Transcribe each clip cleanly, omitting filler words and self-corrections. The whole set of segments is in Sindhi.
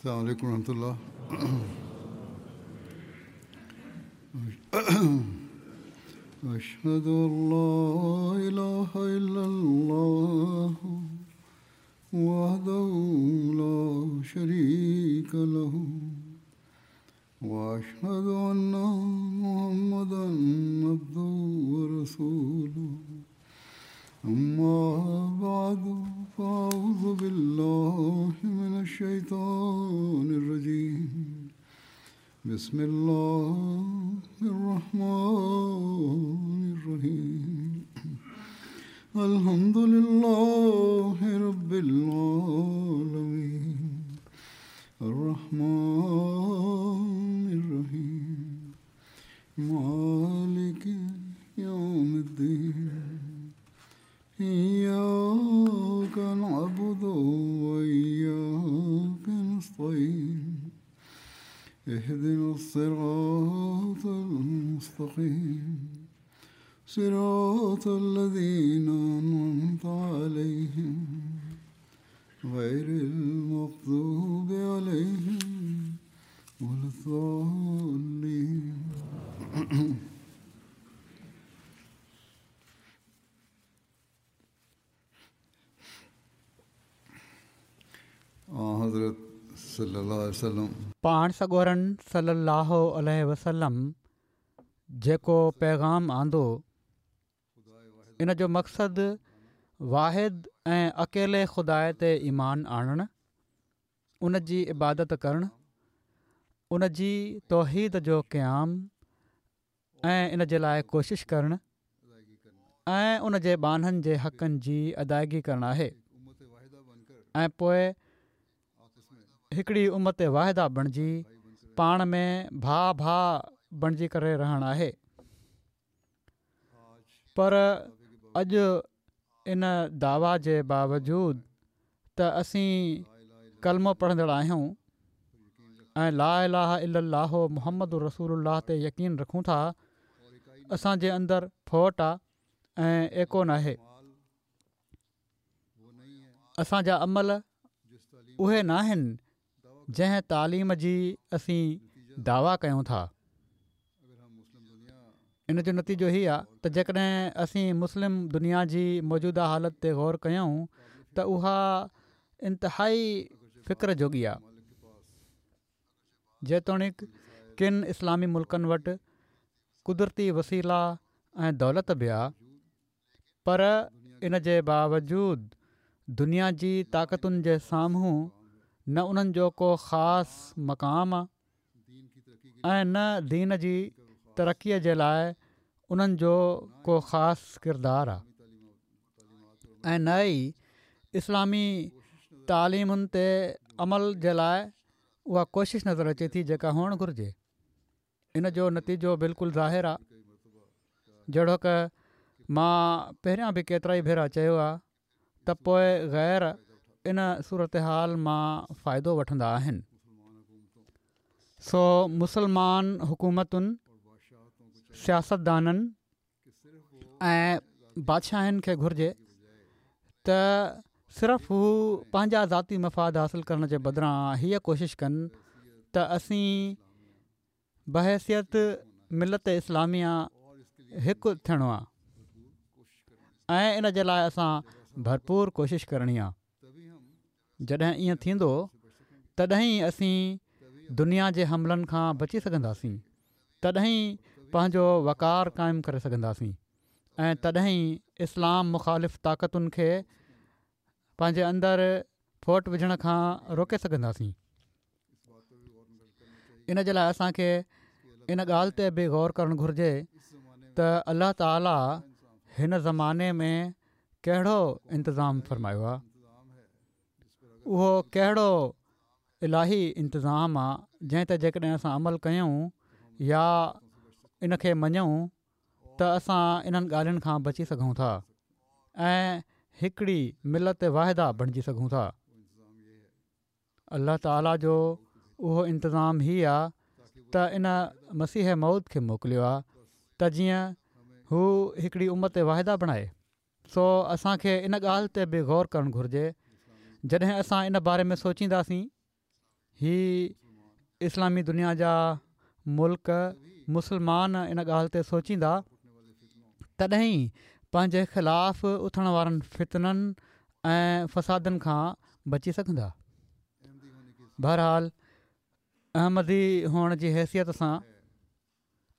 السلام عليڪم ورحمة الله. اشهد ان لا اله الا الله وحده لا شريڪ له واشهد ان محمدا عبده ورسوله اما بعد فاعوذ بالله من الشيطان الرجيم بسم الله الرحمن الرحيم الحمد لله رب العالمين الرحمن الرحيم مالڪ يوم الدين اياڪ نعبد واياڪ نستعين اهدنا الصراط المستقيم صراط الذين انعمت عليهم غير المغضوب عليهم ولا الضالين. آنحضرت صلي الله عليه وسلم. پاڻ سڳورن صلّي اللّٰه عليه وسلّم جيڪو پيغام آندو ان جو مقصد واحد ۽ اڪيلي خدا تي ايمان آڻڻ، ان جي عبادت ڪرڻ، ان جي توحيد جو قيام ۽ ان جي لاء ڪوشش ڪرڻ ۽ ان جي ٻانهن جي حقن جي ادائگي ڪرڻ آهي ۽ پوء هڪڙي امت واحده بڻجي پاڻ ۾ ڀاء ڀاء بڻجي ڪري رهڻ آهي. پر اڄ ان دعويٰ جي باوجود ته اسين ڪلمو پڙهندڙ آهيون ۽ لا اله الا الله محمد رسول الله تي يقين رکون ٿا، اسان جي اندر ڦوٽ آ ۽ ايڪو ناهي. اسان جا عمل اهي ناهن جنهن تعليم جي اسين دعويٰ ڪيون ٿا. ان جو نتيجو هي آ ته جيڪڏهن اسين مسلم دنيا جي موجوده حالت تي غور ڪيون ته اها انتهائي فڪر جوڳي آ. جيتوڻيڪ ڪن اسلامي ملڪن وٽ قدرتي وسيلا ۽ دولت به آ پر ان جي باوجود دنيا جي طاقتن جي سامهون نه انهن جو ڪو خاص مقام آ ۽ نه دين جي ترقي جي لاء انهن جو ڪو خاص ڪردار آ ۽ نه ئي اسلامي تعليمن تي عمل جي لاء اها ڪوشش نظر اچي ٿي جيڪا هئڻ گهرجي. ان جو نتيجو بلڪل ظاهر آ. جهڙوڪ مان پهريان به ڪيترائي ڀيرا چيو آ ته پوء غير ان صورتحال مان فائدو وٺندا آهن. سو مسلمان حڪومتن، سياستدانن ۽ بادشاهن کي گهرجي ته صرف هو پنهنجا ذاتي مفاد حاصل ڪرڻ جي بدران هيء ڪوشش ڪن ته اسين بحيثيت ملت اسلاميه هڪ ٿيڻو آهي ۽ ان جي لاء اسان ڀرپور ڪوشش ڪرڻي آهي. جڏهن ائين ٿيندو تڏهن ئي اسين دنيا جي حملن کان بچي سگهنداسين، تڏهن ئي پنهنجو وقار قائم ڪري سگهنداسين ۽ تڏهن ئي اسلام مخالف طاقتن کي پنهنجي اندر ڦوٽ وجهڻ کان روڪي سگهنداسين. ان جي لاء اسان کي ان ڳالهه تي به غور ڪرڻ گهرجي ته الله تعالي هن زماني ۾ ڪهڙو انتظام فرمايو آهي اهو ڪهڙو الاهي انتظام آهي جنهن تي جيڪڏهن اسان عمل ڪيون يا ان کي مڃون ته اسان انهن ڳالهين کان بچي سگهون ٿا ۽ هڪڙي ملت واحده بڻجي سگهون ٿا. الله تعاليٰ جو اهو انتظام هي آ ته ان مسيح موعود کي موڪليو آ ته جيئن هو هڪڙي امت واحده بڻائي. سو اسان کي ان ڳالهه تي به غور ڪرڻ گهرجي. جڏهن اسان ان باري ۾ سوچينداسين هي اسلامي دنيا جا ملڪ مسلمان ان ڳالهه تي سوچيندا تڏهن ئي پنهنجي خلاف اٿڻ وارن فتنن ۽ فسادن کان بچي سگهندا. بهرحال احمدي هئڻ جي حيثيت سان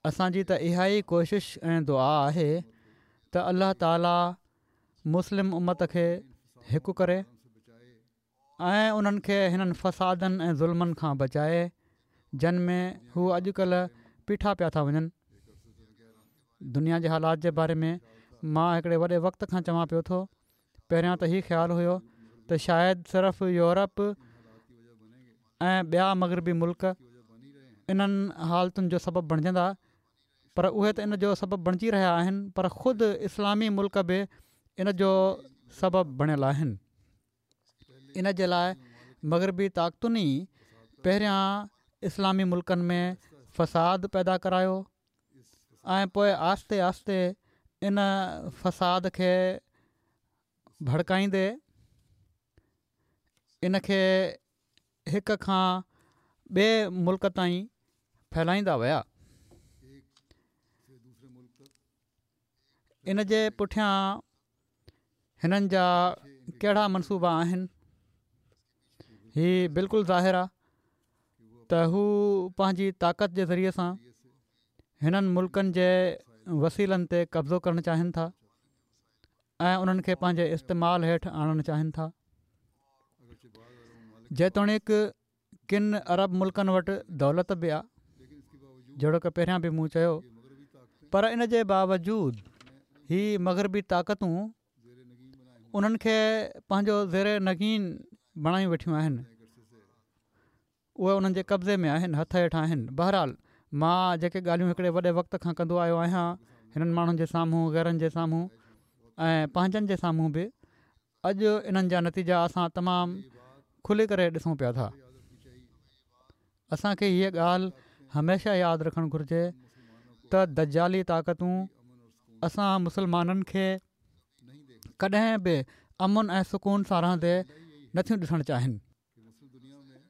اسان جي ته اها ئي ڪوشش ۽ دعا آهي ته الله تعالي مسلم امت کي هڪ ڪري ۽ انهن کي هنن فسادن ۽ ظلمن کان بچائي جن ۾ هو اڄ ڪلهه پيٺا پيا ٿا وڃن. دنيا جي حالات جي باري ۾ مان هڪڙي وڏي وقت کان چوان پيو ٿو. پهريان ته هي خيال هيو ته شايد صرف يورپ ۽ ٻيا مغربي ملڪ انهن حالتن جو سبب بڻجندا پر اهي ته ان جو سبب بڻجي رهيا آهن پر خود اسلامي ملڪ به ان جو سبب بڻيل آهن. ان جي لاء مغربي طاقتن ئي پهريان اسلامي ملڪن ۾ فساد پيدا ڪرايو ۽ پوء آهستي آهستي ان فساد کي ڀڙڪائيندي ان کي هڪ کان ٻئي ملڪ تائين ڦهلائيندا ويا. ان جي پٺيان هنن جا ڪهڙا منصوبا آهن؟ هي بلڪل ظاهر آ ته هو پنهنجي طاقت جي ذريعي سان هنن ملڪن جي وسيلن تي قبضو ڪرڻ چاهين ٿا ۽ انهن کي پنهنجي استعمال هيٺ آڻڻ چاهين ٿا. جيتوڻيڪ ڪن عرب ملڪن وٽ دولت به آ جهڙوڪ پهريان به مون چيو پر ان جي باوجود هي مغربي طاقتون انهن کي پنهنجو زير نگين بڻايون ويٺيون آهن اهي انهن جي قبضي ۾ آهن هٿ هيٺ آهن بهرحال مان جيڪي ڳالهيون هڪڙي وڏي وقت کان ڪندو آيو آهيان هنن ماڻهن جي سامهون غيرن جي سامهون ۽ پنهنجن جي سامهون به اڄ انهن جا نتيجا اسان تمام کلي ڪري ڏسون پيا ٿا. اسان کي هيء ڳالهه هميشه ياد رکڻ گهرجي ته دجالي طاقتون اسان مسلمانن کي ڪڏهن به امن ۽ سڪون سان رهندي نٿيون ڏسڻ چاهين.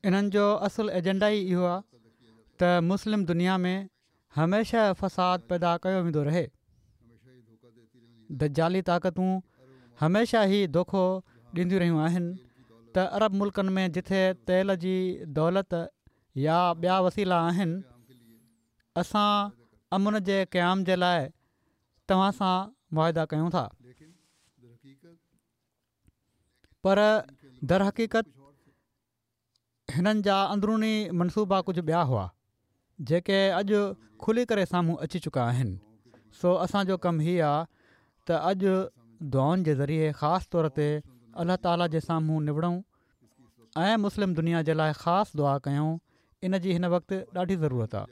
انهن جو اصل ايجنڊا ئي اهو آهي ته مسلم دنيا ۾ هميشه فساد پيدا ڪيو ويندو رهي. دجالي طاقتون هميشه هي دوکو ڏينديون رهيون آهن ته عرب ملڪن ۾ جٿي تيل جي دولت يا ٻيا وسيلا آهن اسان امن جي قيام جي لاء توهان سان معاهدا ڪيون ٿا. پر درحقيقت هنن جا اندروني منصوبا ڪجهه ٻيا هئا جيڪي اڄ کلي ڪري سامهون اچي چڪا آهن سو اسان جو ڪم هي آ ته اڄ دعائن جي ذريعي خاص طور تي الله تعالي جي سامهون نوڙون ۽ مسلم دنيا جي لاء خاص دعا ڪيون ان جي هن وقت ڏاڍي ضرورت آ.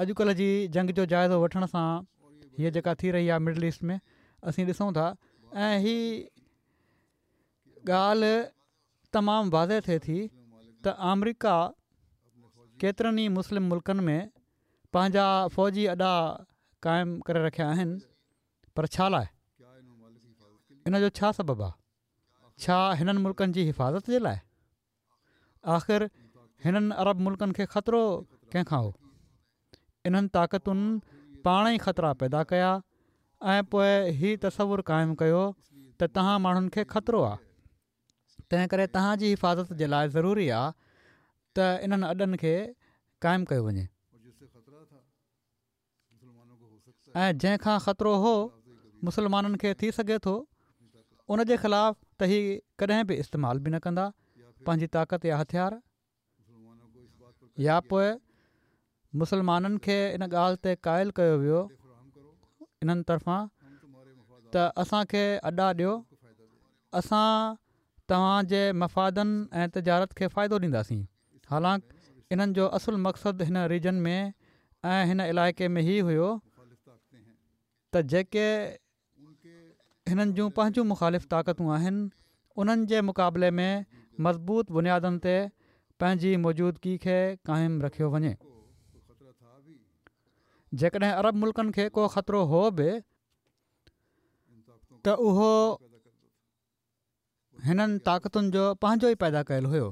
اڄڪلهه جي جنگ جو جائزو وٺڻ سان هيء جيڪا ٿي رهي آهي مڊل ايسٽ ۾ اسين ڏسون ٿا ۽ هي ڳالهه تمام واضح ٿئي ٿي ته آمريڪا ڪيترن ئي مسلم ملڪن ۾ پنهنجا فوجي اڏا قائم ڪري رکيا آهن پر ڇا لاء ان جو ڇا سبب آهي ڇا هنن ملڪن جي حفاظت جي لاء آخر هنن عرب ملڪن کي خطرو ڪنهن کان هو؟ انهن طاقتن پاڻ ئي خطرا پيدا ڪيا ۽ پوء هي تصور قائم ڪيو ته توهان ماڻهن کي خطرو آ تنهن ڪري توهان جي حفاظت جي لاء ضروري آ ته انهن اڏن کي قائم ڪيو وڃي. ۽ جنهن کان خطرو هو مسلمانن کي ٿي سگهي ٿو ان جي خلاف ته هي ڪڏهن به استعمال به نه ڪندا پنهنجي طاقت يا هٿيار يا پوء مسلمانن کي ان ڳالهه تي قائل ڪيو ويو انهن طرفان ته اسان کي اڏا ڏيو اسان توهان جي مفادن ۽ تجارت کي فائدو ڏينداسين حالانڪ انهن جو اصل مقصد هن ريجن ۾ ۽ هن علائقي ۾ هي هيو ته جيڪي هنن جون پنهنجون مخالف طاقتون آهن انهن جي مقابلي ۾ مضبوط بنيادن تي پنهنجي موجودگي کي قائم رکيو وڃي. جيڪڏهن عرب ملڪن کي ڪو خطرو هو به ته اهو هنن طاقتن جو پنهنجو ئي پيدا ڪيل هيو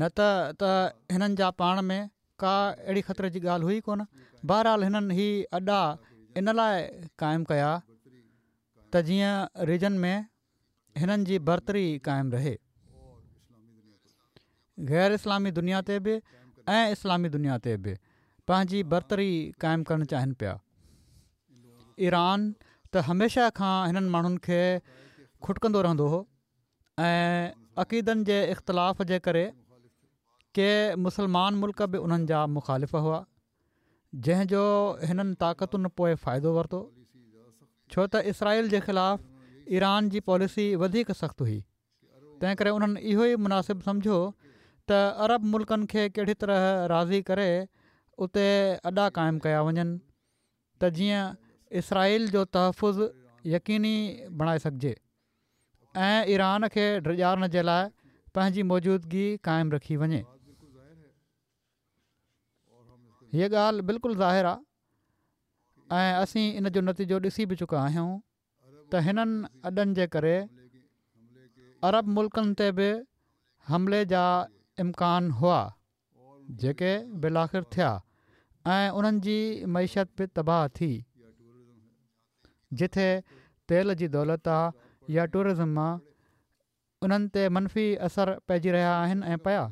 نه ته ته هنن جا پاڻ ۾ ڪا اهڙي خطري جي ڳالهه هئي ڪونه. بهرحال هنن هي اڏا ان لاء قائم ڪيا ته جيئن ريجن ۾ هنن جي برتري قائم رهي. غير اسلامي دنيا تي به ۽ اسلامي دنيا تي به پنهنجي برتري قائم ڪرڻ چاهين پيا. ايران ته هميشه کان هنن ماڻهن کي کٽڪندو رهندو هو ۽ عقيدن جي اختلاف جي ڪري ڪي مسلمان ملڪ به انهن جا مخالف هئا جنهن جو هنن طاقتن پوء فائدو ورتو ڇو ته اسرائيل جي خلاف ايران جي پاليسي وڌيڪ سخت هئي تنهن ڪري انهن اهو ئي مناسب سمجهيو ته عرب ملڪن کي ڪهڙي طرح راضي ڪري اتي اڏا قائم ڪيا وڃن ته جيئن اسرائيل جو تحفظ يقيني بڻائي سگهجي ۽ ايران کي ڊيڄارڻ جي لاء پنهنجي موجودگي قائم رکي وڃي. هيء ڳالهه بلڪل ظاهر آ ۽ اسين ان جو نتيجو ڏسي به چڪا آهيون ته هنن اڏن جي ڪري عرب ملڪن تي به حملي جا امڪان هئا. جيڪي بالآخر ٿيا ۽ انهن جي معيشت به تباهه ٿي. جتي تيل جي دولت آ يا ٽوئرزم آ انهن تي منفي اثر پئجي رهيا آهن ۽ پيا.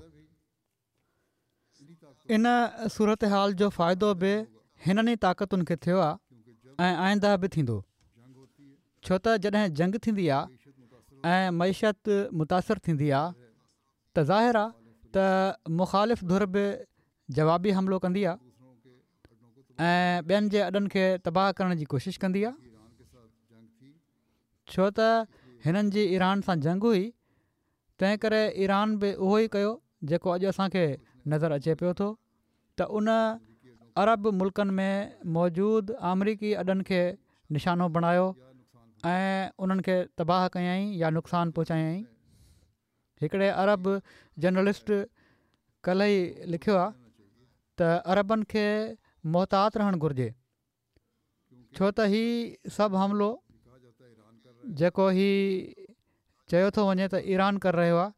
ان صورتحال جو فائدو به هنن ئي طاقتن کي ٿيو آ ۽ آئنده به ٿيندو. ڇو ته جڏهن جنگ ٿيندي آ ۽ معيشت متاثر ٿيندي آ ته ظاهر آ ته مخالف ڌر به جوابي حملو ڪندي آ ۽ ٻين جي اڏن کي تباهه ڪرڻ جي ڪوشش ڪندي آ ڇو ته هنن جي ايران سان جنگ هئي تنهن ڪري ايران به اهو ئي ڪيو جيڪو اڄ اسان کي نظر اچي پيو ٿو ته ان عرب ملڪن ۾ موجود آمريڪي اڏن کي نشانو بڻايو ۽ انهن کي تباهه ڪيائين يا نقصان پهچايائين. هڪڙي عرب جرنلسٽ ڪلهه ئي لکيو آهي ته عربن کي محتاط رهڻ گهرجي ڇو ته هي سڀ حملو جيڪو هي چيو ٿو وڃي ته ايران ڪري رهيو آهي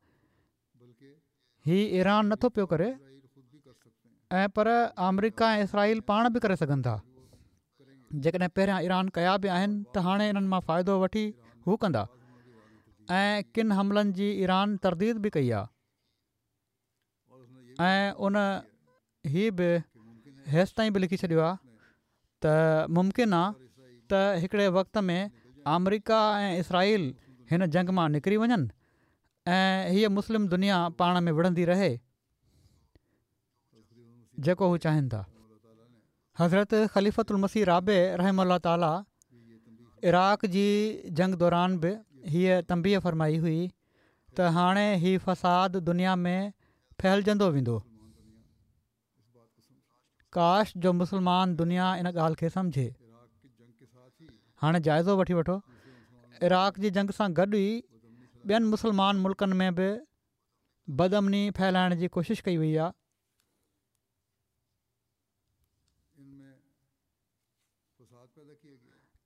هي ايران نٿو پيو ڪري ۽ پر آمريڪا ۽ اسرائيل پاڻ به ڪري سگهن ٿا جيڪڏهن پهريان ايران ڪيا به آهن ته هاڻي انهن مان فائدو وٺي هو ڪندا ۽ ڪن حملن جي ايران ترديد به ڪئي آهي ۽ ان هي به هيستائين به لکي ڇڏيو آهي ته ممڪن آهي ته هڪڙي وقت ۾ آمريڪا ۽ اسرائيل هن جنگ مان نڪري وڃن ۽ هيء مسلم دنيا پاڻ ۾ وڙهندي رهي جيڪو هو چاهين ٿا. حضرت خليفة المسيح رابع رحمه الله تعاليٰ عراق جي جنگ دوران به هيء تنبيهه فرمائي هئي ته هاڻي هي فساد دنيا ۾ ڦهلجندو ويندو. ڪاش جو مسلمان دنيا ان ڳالهه کي سمجهي. هاڻي جائزو وٺي وٺو عراق جي جنگ سان گڏ ئي ٻين مسلمان ملڪن ۾ به بدامني ڦهلائڻ جي ڪوشش ڪئي وئي آهي.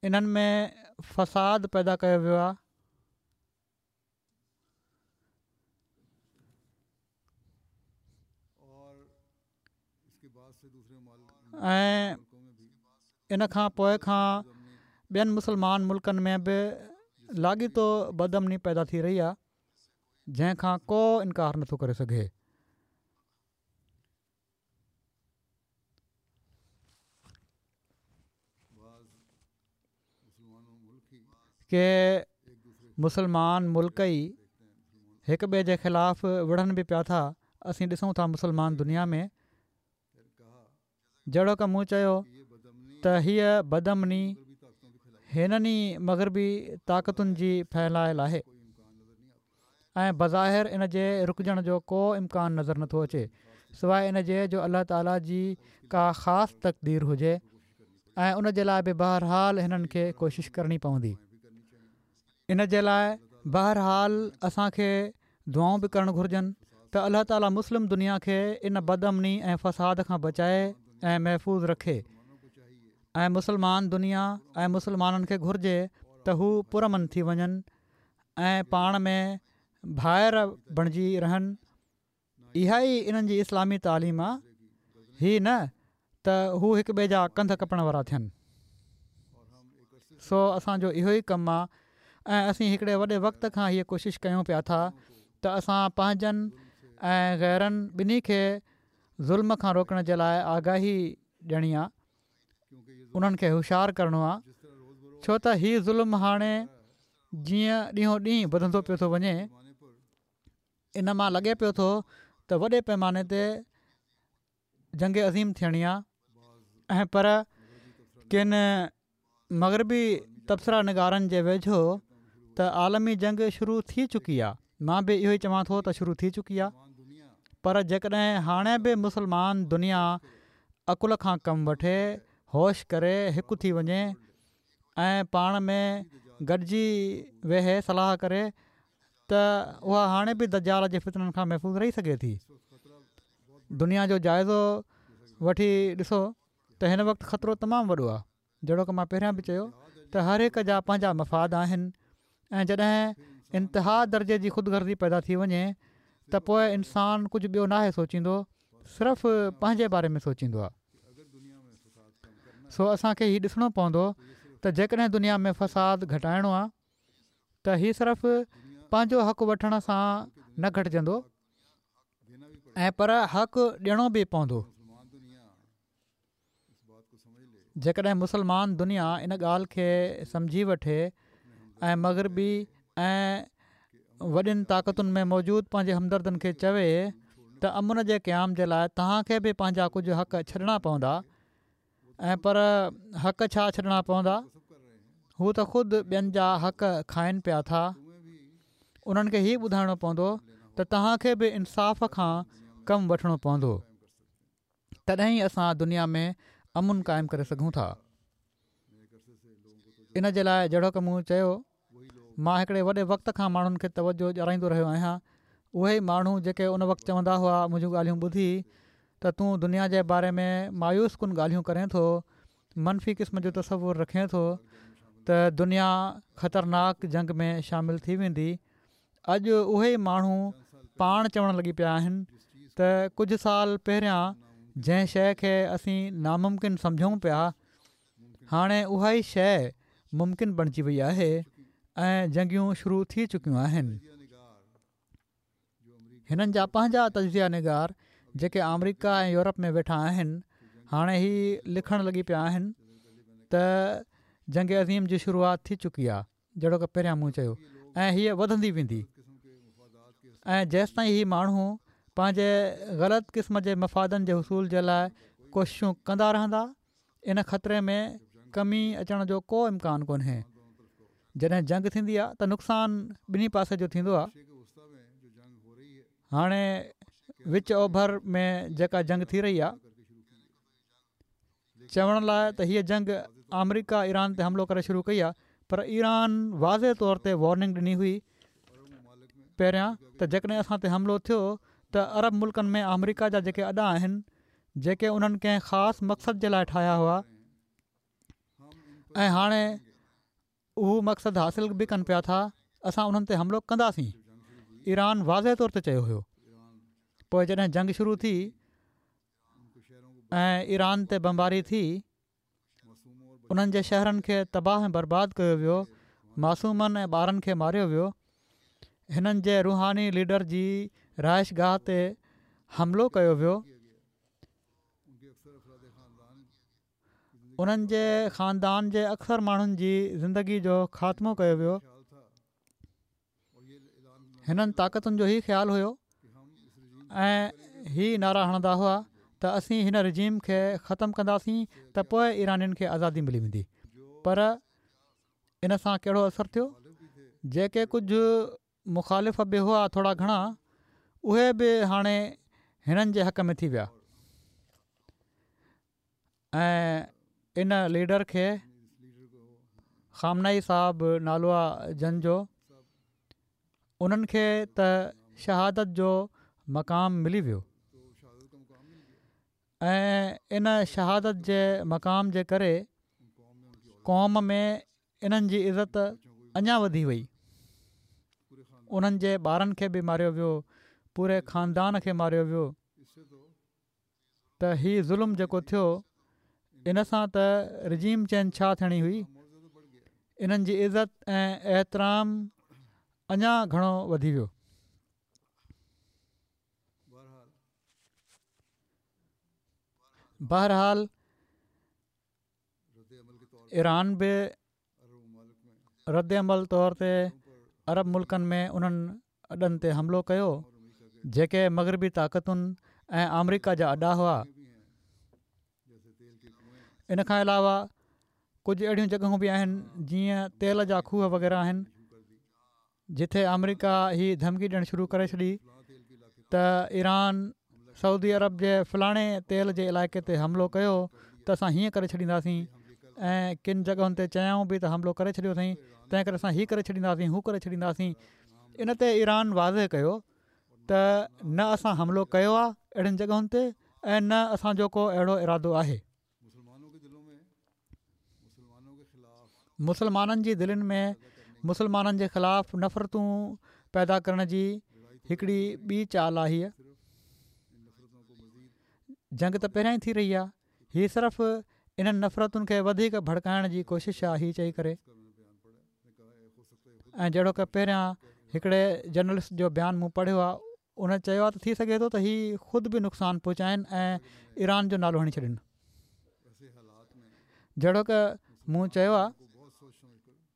انهن ۾ فساد پيدا ڪيو ويو آهي. ۽ ان کان پوء کان ٻين مسلمان ملڪن ۾ به لاڳيتو بدامني پيدا ٿي رهي آهي. جنهن کان ڪو انڪار نٿو ڪري سگهي. ڪي مسلمان ملڪ ئي هڪ ٻئي جي خلاف وڙهن به پيا ٿا اسين ڏسون ٿا مسلمان دنيا ۾ جهڙوڪ مون چيو ته هيء بدامني هنن ئي مغربي طاقتن جي ڦهلايل آهي ۽ بظاهر ان جي رڪجڻ جو ڪو امڪان نظر نٿو اچي سواء ان جي جو الله تعالي جي ڪا خاص تقدير هجي ۽ ان جي لاء به بهرحال هنن کي ڪوشش ڪرڻي پوندي. ان جي لاء بهرحال اسان کي دعائون به ڪرڻ گهرجن ته الله تعالي مسلم دنيا کي ان بدامني ۽ فساد کان بچائي ۽ محفوظ رکي ۽ مسلمان دنيا ۽ مسلمانن کي گهرجي ته هو پرامن ٿي وڃن ۽ پاڻ ۾ ڀائر بڻجي رهن. اها ئي انهن جي اسلامي تعليم آ، هي نه ته هو هڪ ٻئي جا ڪنڌ ڪپڻ وارا ٿين. سو اسان جو اهو ئي ڪم آ ۽ اسين هڪڙي وڏي وقت کان هيء ڪوشش ڪيون پيا ٿا ته اسان پنهنجن ۽ غيرن ٻنهي کي ظلم کان روڪڻ جي لاء آگاهي ڏيڻي آ، انهن کي هوشيار ڪرڻو آ، ڇو ته هي ظلم هاڻي جيئن ڏينهون ڏينهن وڌندو پيو ٿو وڃي، ان مان لڳي پيو ٿو ته وڏي پيماني تي جنگ عظيم ٿيڻي آ ۽ پر ڪن مغربي تبصره نگارن جي ويجهو ته عالمي جنگ شروع ٿي چڪي آ. مان به اهو ئي چوان ٿو ته شروع ٿي چڪي آ پر جيڪڏهن هاڻي به مسلمان دنيا عقل کان ڪم وٺي هوش ڪري هڪ ٿي وڃي ۽ پاڻ ۾ گڏجي ويهي صلاح ڪري ته اها هاڻي به دجال جي فتنن کان محفوظ رهي سگهي ٿي. دنيا جو جائزو وٺي ڏسو ته هن وقت خطرو تمام وڏو آهي. جهڙوڪ مان پهريان به چيو ته هر هڪ جا پنهنجا مفاد آهن ۽ جڏهن انتها درجي جي خود غرضي پيدا ٿي وڃي ته پوء انسان ڪجهه ٻيو ناهي سوچيندو صرف پنهنجي باري ۾ سوچيندو آهي. سو اسان کي هي ڏسڻو پوندو ته جيڪڏهن دنيا ۾ فساد گهٽائڻو آهي ته هي صرف پنهنجو حق وٺڻ سان نه گهٽجندو ۽ پر حق ڏيڻو به پوندو. جيڪڏهن مسلمان دنيا ان ڳالهه کي سمجهي وٺي ۽ مغربي ۽ وڏين طاقتن ۾ موجود پنهنجي همدردن کي چوي ته امن جي قيام جي لاء توهان کي به پنهنجا ڪجهه حق ڇڏڻا پوندا ۽ پر حق ڇا ڇڏڻا پوندا؟ هو ته خود ٻين جا حق کائن پيا ٿا. انهن کي هي ٻڌائڻو پوندو ته توهان کي به انصاف کان ڪم وٺڻو پوندو. تڏهن ئي اسان دنيا ۾ امن قائم ڪري سگهون ٿا. ان جي لاء جهڙوڪ مون چيو مان هڪڙي وڏي وقت کان ماڻهن کي توجه ڏيارائيندو رهيو آهيان. اهي ئي ماڻهو جيڪي ان وقت چوندا هئا منهنجون ڳالهيون ٻڌي ته تون دنيا جي باري ۾ مايوس ڪن ڳالهيون ڪرين ٿو، منفي قسم جو تصور رکين ٿو ته دنيا خطرناڪ جنگ ۾ شامل ٿي ويندي. اڄ اهي ئي ماڻهو پاڻ چوڻ لڳي پيا آهن ته ڪجهه سال پهريان جنهن شيء کي اسين ناممڪن سمجهون پيا هاڻي اها ئي شيء ممڪن بڻجي وئي آهي ۽ جنگيون شروع ٿي چڪيون آهن. هنن جا پنهنجا تجزيه نگار جيڪي آمريڪا ۽ يورپ ۾ ويٺا آهن هاڻي هي لکڻ لڳي پيا آهن ته جنگ عظيم جي شروعات ٿي چڪي آهي. جهڙوڪ پهريان مون چيو ۽ هيء وڌندي ويندي ۽ جيستائين هي ماڻهو پنهنجي غلط قسم جي مفادن جي حصول جي لاء ڪوششون ڪندا رهندا ان خطري ۾ ڪمي اچڻ جو ڪو امڪان ڪونهي جڏهن جنگ ٿيندي آهي ته نقصان ٻنهي پاسي جو ٿيندو آهي هاڻي وچ اوڀر ۾ جيڪا جنگ ٿي رهي آهي چوڻ لاء ته هيء جنگ آمريڪا ايران تي حملو ڪري شروع ڪئي آهي پر ايران واضح طور تي وارننگ ڏني هئي پهريان ته جيڪڏهن اسان تي حملو ٿيو ته عرب ملڪن ۾ آمريڪا جا جيڪي اڏا آهن جيڪي انهن ڪنهن خاص مقصد جي لاء ٺاهيا هئا ۽ هاڻي اهو مقصد حاصل به ڪن پيا ٿا اسان انهن تي حملو ڪنداسين ايران واضح طور تي چيو هيو پوء جڏهن جنگ شروع ٿي ۽ ايران تي بمباري ٿي انهن جي شهرن کي تباهه ۽ برباد ڪيو ويو معصومن ۽ ٻارن کي ماريو ويو هنن جي روحاني ليڊر جي رهائش گاهه تي حملو ڪيو ويو انهن جي خاندان جي اڪثر ماڻهن جي زندگي جو خاتمو ڪيو ويو هنن طاقتن جو هي خيال هيو ۽ هي نعرا هڻندا هئا ته اسين هن رجيم کي ختم ڪنداسين ته پوء ايرانين کي آزادي ملي ويندي پر ان سان ڪهڙو اثر ٿيو جيڪي ڪجهه مخالف به هئا ٿورا گهڻا اهي به هاڻي هنن جي حق ۾ ٿي ويا ۽ ان ليڊر کي خامنه اي صاحب نالو آ جن جو انهن کي ته شهادت جو مقام ملي ويو ۽ ان شهادت جي مقام جي ڪري قوم ۾ انهن جي عزت اڃا وڌي وئي. انهن جي ٻارن کي به ماريو ويو، پوري خاندان کي ماريو ويو ته هي ظلم جيڪو ٿيو ان سان ته رجيم چينج ڇا ٿيڻي هئي، انهن جي عزت ۽ احترام اڃا گهڻو وڌي ويو. بهرحال ايران به رد عمل طور تي عرب ملڪن ۾ انهن اڏن تي حملو ڪيو جيڪي مغربي طاقتن ۽ آمريڪا جا اڏا هئا. ان کان علاوه ڪجهه اهڙيون جڳهون به آهن جيئن تيل جا کوهه وغيره آهن جتي آمريڪا هي ڌمڪي ڏيڻ شروع ڪري ڇڏي ته ايران سعودي عرب جي فلاڻي تيل جي علائقي تي حملو ڪيو ته اسان هيئن ڪري ڇڏينداسين ۽ ڪن جڳهن تي چيائون به ته حملو ڪري ڇڏيو اٿئين تنهن ڪري اسان هي ڪري ڇڏينداسين هو ڪري ڇڏينداسين ان تي ايران واضح ڪيو ته نه اسان حملو ڪيو آهي اهڙين جڳهن تي ۽ نه اسان جو ڪو اهڙو ارادو آهي. مسلمانن جي دلين ۾ مسلمانن جي خلاف نفرتون پيدا ڪرڻ جي هڪڙي ٻي چال آهي هيء. جنگ ته پهريان ئي ٿي رهي آهي. هي صرف انهن نفرتن کي وڌيڪ ڀڙڪائڻ جي ڪوشش آهي هي چئي ڪري. ۽ جهڙوڪ پهريان هڪڙي جرنلسٽ جو بيان مون پڙهيو آهي ان چيو آهي ته ٿي سگهي ٿو ته هي خود به نقصان پهچائن ۽ ايران جو نالو هڻي ڇڏين. جهڙوڪ مون چيو آهي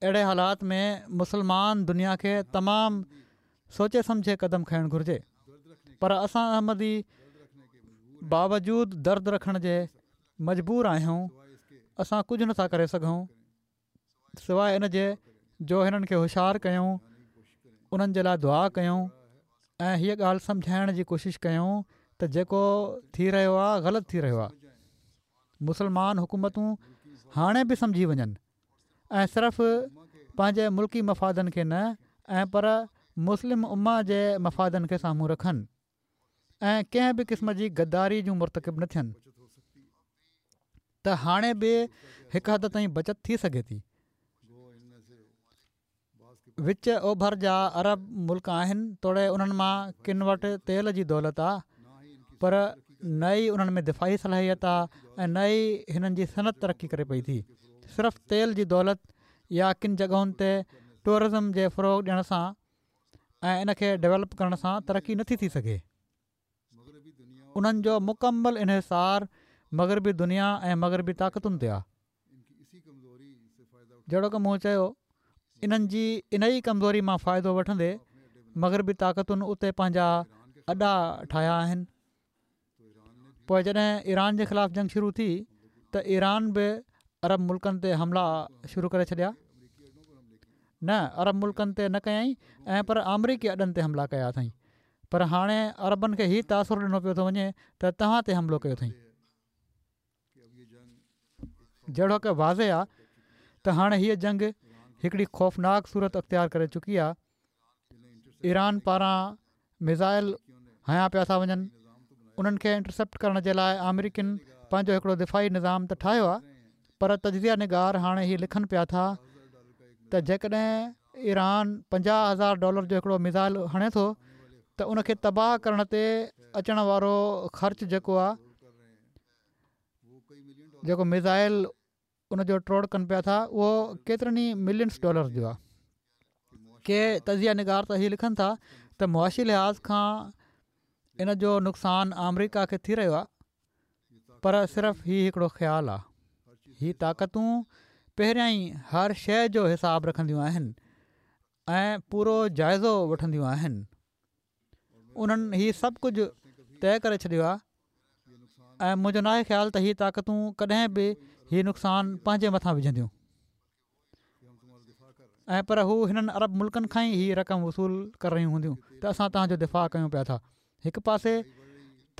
اهڙي حالات ۾ مسلمان دنيا کي تمام سوچي سمجهي قدم کڻڻ گهرجي پر اسان احمدي باوجود درد رکڻ جي مجبور آهيون اسان ڪجهه نٿا ڪري سگهون. سواء ان جي جو هنن کي هوشيار ڪيون، انهن جي لاء دعا ڪيون ۽ هيء ڳالهه سمجهائڻ جي ڪوشش ڪيون ته جيڪو ٿي رهيو آهي غلط ٿي رهيو آهي. مسلمان حڪومتون هاڻي به سمجهي وڃن ۽ صرف پنهنجي ملڪي مفادن کي نه ۽ پر مسلم امه جي مفادن کي سامهون رکن. ۽ ڪنهن به قسم جي غداري جون مرتڪب نه ٿين ته هاڻي به هڪ حد تائين بچت ٿي سگهي ٿي. وچ اوڀر جا عرب ملڪ آهن توڙي انهن مان ڪن وٽ تيل جي دولت آ پر نه ئي انهن ۾ دفاعي صلاحيت آ ۽ نه ئي هنن جي صنعت ترقي ڪري پئي ٿي صرف تيل جي دولت يا ڪن جڳهن تي ٽوئرزم جي فروغ ڏيڻ سان ۽ ان کي ڊولپ ڪرڻ سان ترقي نٿي ٿي سگهي. انهن جو مڪمل انحصار مغربي دنيا ۽ مغربي طاقتن تي آهي. جهڙوڪ مون چيو انهن جي انهي ڪمزوري مان فائدو وٺندي مغربي طاقتن اتي پنهنجا اڏا ٺاهيا آهن. پوء جڏهن ايران جي خلاف جنگ شروع ٿي ته ايران به عرب ملڪن تي حملا شروع ڪري ڇڏيا نه عرب ملڪن تي نه ڪيائين ۽ پر آمريڪي اڏن تي حملا ڪيا اٿائين پر هاڻي عربن کي هي تاثر ڏنو پيو ٿو وڃي ته توهان تي حملو ڪيو اٿائين. جهڙوڪ واضح آ ته هاڻي هيء جنگ هڪڙي خوفناڪ صورت اختيار ڪري چڪي آ. ايران پاران ميزائل هنيا پيا ٿا وڃن. انهن کي انٽرسيپٽ ڪرڻ جي لاء آمريڪين پنهنجو هڪڙو دفاعي نظام ته ٺاهيو آ پر تجزيه نگار هاڻي هي لکن پيا ٿا ته جيڪڏهن ايران 50,000 ڊالر جو هڪڙو ميزائل هڻي ٿو ته ان کي تباهه ڪرڻ تي اچڻ وارو خرچ جيڪو آ جيڪو ميزائل ان جو ٽوڙ ڪن پيا ٿا اهو ڪيترن ئي ملينس ڊالرز جو آهي. ڪي تجزيه نگار ته هي لکن ٿا ته معاشي لحاظ کان ان جو نقصان آمريڪا کي ٿي رهيو آهي پر صرف هي هڪڙو خيال آهي. هي طاقتون پهريان ئي هر شيء جو حساب رکنديون آهن ۽ پورو جائزو وٺنديون آهن. انهن هي سڀ ڪجهه طئي ڪري ڇڏيو آهي ۽ منهنجو ناهي خيال ته هي طاقتون ڪڏهن به هي نقصان پنهنجي مٿان وجهنديون ۽ پر هو هنن عرب ملڪن کان ئي هي رقم وصول ڪري رهيون هونديون ته اسان توهان جو دفاع ڪيون پيا ٿا هڪ پاسي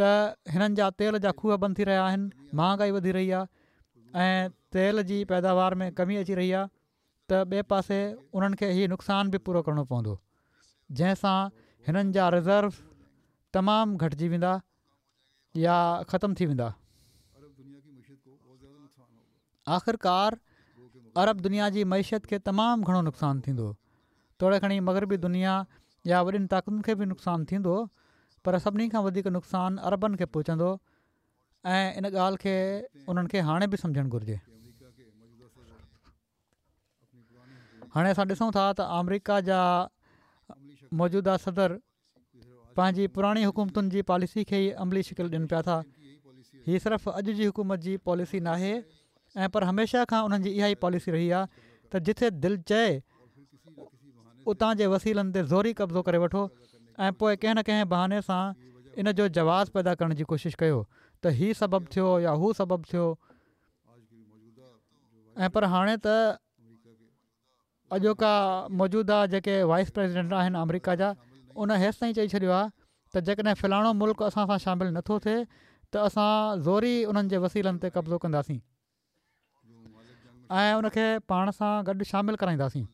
ته هنن جا تيل جا کوهه بند ٿي رهيا آهن مهانگائي وڌي رهي آهي ۽ تيل جي پيداوار ۾ ڪمي اچي رهي آهي ته ٻئي پاسي انهن کي هي نقصان به پورو ڪرڻو پوندو جنهن سان هنن جا ريزروز تمام گهٽجي ويندا يا ختم ٿي ويندا. آخرڪار عرب دنيا جي معيشت کي تمام گهڻو نقصان ٿيندو. توڙي کڻي مغربي دنيا يا وڏين طاقتن کي به نقصان ٿيندو پر سڀني کان وڌيڪ نقصان عربن کي پهچندو ۽ ان ڳالهه کي انهن کي هاڻي به سمجهڻ گهرجي. هاڻي اسان ڏسون ٿا ته آمريڪا جا موجوده صدر پنهنجي پراڻي حڪومتن جي پاليسي کي ئي عملي شڪل ڏين پيا ٿا. هي صرف اڄ جي حڪومت جي پاليسي ناهي ۽ پر هميشه کان انهن جي اها ئي پاليسي رهي آهي ته جٿي دل چئي اتان جي وسيلن تي زوري قبضو ڪري وٺو ۽ پوء ڪنهن نه ڪنهن بهاني سان ان جو جواز پيدا ڪرڻ جي ڪوشش ڪيو ته هي سبب ٿيو يا هو سبب ٿيو ۽ پر هاڻي ته اڄوڪا موجوده جيڪي وائيس پريزيڊنٽ آهن آمريڪا جا ان هيستائين چئي ڇڏيو آهي ته جيڪڏهن فلاڻو ملڪ اسان سان شامل نٿو ٿئي ته اسان زوري انهن جي وسيلن تي قبضو ڪنداسين ۽ ان کي پاڻ سان گڏ شامل ڪرائينداسين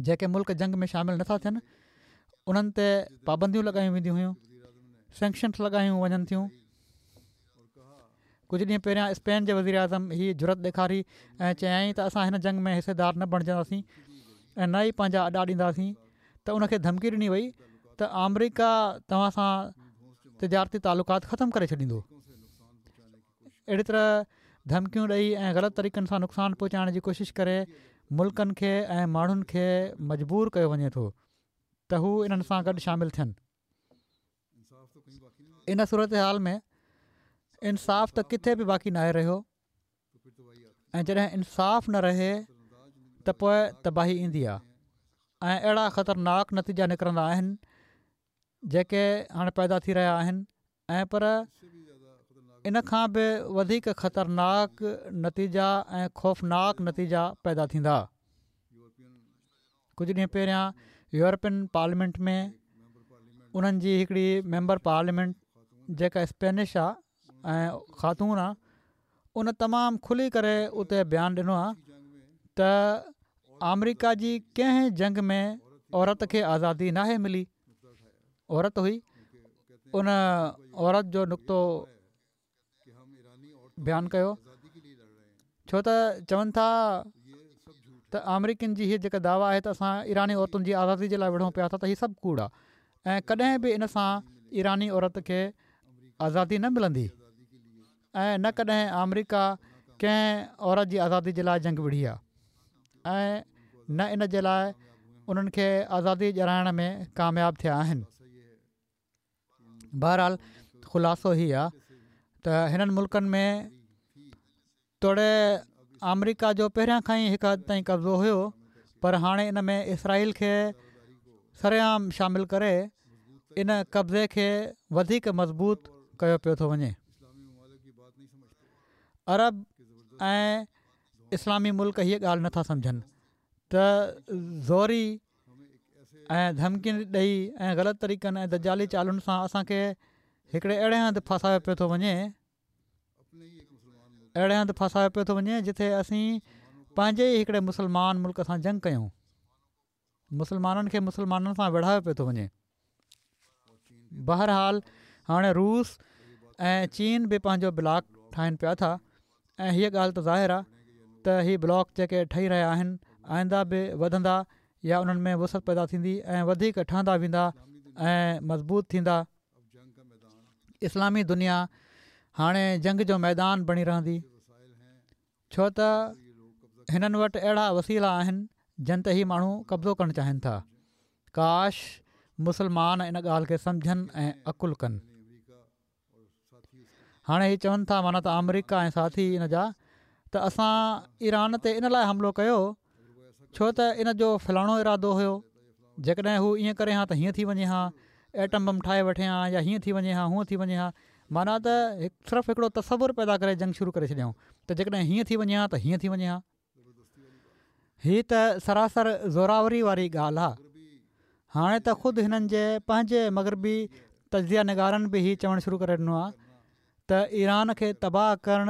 جيڪي ملڪ جنگ ۾ شامل نٿا ٿين انهن تي پابنديون لڳايون وينديون هيون سينڪشنس لڳايون وڃن ٿيون ڪجهه ڏينهن پهريان اسپين جي وزيراعظم هي جرئت ڏيکاري ۽ چيائين ته اسان هن جنگ ۾ حصيدار نه بڻجنداسين ۽ نه ئي پنهنجا اڏا ڏينداسين ته ان کي ڌمڪي ڏني وئي ته آمريڪا توهان سان تجارتي تعلقات ختم ڪري ڇڏيندو. اهڙي طرح ڌمڪيون ڏئي ۽ غلط طريقن سان نقصان پهچائڻ جي ڪوشش ڪري ملڪن کي ۽ ماڻهن کي مجبور ڪيو وڃي ٿو ته هو انهن سان گڏ شامل ٿين. ان صورتحال ۾ انصاف ته ڪٿي به باقي ناهي رهيو ۽ جڏهن انصاف نه رهي ته پوء تباهي ايندي آهي ۽ اهڙا خطرناڪ نتيجا نڪرندا آهن جيڪي هاڻي پيدا ٿي رهيا آهن ۽ پر ان کان به وڌيڪ خطرناڪ نتيجا ۽ خوفناڪ نتيجا پيدا ٿيندا. ڪجهه ڏينهن پهريان يورپين پارليامينٽ ۾ انهن جي هڪڙي ميمبر پارليامينٽ جيڪا اسپينش آ ۽ خاتون آ ان تمام کلي ڪري اتي بيان ڏنو آ ته آمريڪا جي ڪنهن جنگ ۾ عورت کي آزادي ناهي ملي عورت هئي ان عورت جو نڪتو بيان ڪيو ڇو ته چون ٿا ته آمريڪين جي هي جيڪا دعويٰ آهي ته اسان ايراني عورتن جي آزادي جي لاء وڙهون پيا ٿا ته هي سڀ ڪوڙ آهي ۽ ڪڏهن به ان سان ايراني عورت کي آزادي نه ملندي ۽ نه ڪڏهن آمريڪا ڪنهن عورت جي آزادي جي لاء جنگ وڙهي آهي ۽ نه ان جي لاء انهن کي آزادي ڏيارائڻ ۾ ڪامياب ٿيا آهن. بهرحال خلاصو هي آ ته هنن ملڪن ۾ توڙي آمريڪا جو پهريان کان ئي هڪ حد تائين قبضو هيو پر هاڻي ان ۾ اسرائيل کي سرعام شامل ڪري ان قبضي کي وڌيڪ مضبوط ڪيو پيو ٿو وڃي. عرب ۽ اسلامي ملڪ هيء ڳالهه نٿا سمجهن ته زوري ۽ ڌمڪين ڏئي ۽ غلط طريقن ۽ دجالي چالن سان اسان کي هڪڙي اهڙي هنڌ ڦاسايو پيو ٿو وڃي اهڙي هنڌ ڦاسايو پيو ٿو وڃي جتي اسين پنهنجي ئي هڪڙي مسلمان ملڪ سان جنگ ڪيون مسلمانن کي مسلمانن سان وڙهايو پيو ٿو وڃي بهرحال هاڻي روس ۽ چين به پنهنجو بلاڪ ٺاهن پيا ٿا ۽ هيء ڳالهه ته ظاهر آهي ته هي بلاڪ جيڪي ٺهي رهيا آهن آئنده به وڌندا يا انهن ۾ وسعت پيدا ٿيندي ۽ وڌيڪ ٺهندا ويندا ۽ مضبوط ٿيندا. اسلامي دنيا هاڻي جنگ جو ميدان بڻي رهندي. ڇو ته هنن وٽ اهڙا وسيلا آهن جن تي هي ماڻهو قبضو ڪرڻ چاهين ٿا. ڪاش مسلمان ان ڳالهه کي سمجهن ۽ عقل ڪن. هاڻي هي چون ٿا معنيٰ ته آمريڪا ۽ ساٿي ان جا ته اسان ايران تي ان لاء حملو ڪيو ڇو ته ان جو فلاڻو ارادو هيو جيڪڏهن هو ائين ڪري ها ته هيئن ٿي وڃي ها ايٽم بم ٺاهي وٺي ها يا هيئن ٿي وڃي ها هونئن ٿي وڃي ها معنيٰ ته صرف هڪڙو تصور پيدا ڪري جنگ شروع ڪري ڇڏيائون ته جيڪڏهن هيئن ٿي وڃي ها ته هيئن ٿي وڃي ها. هي ته سراسر زوراوري واري ڳالهه آ. هاڻي ته خود هنن جي پنهنجي مغربي تجزيه نگارن به هي چوڻ شروع ڪري ڏنو آ ته ايران کي تباهه ڪرڻ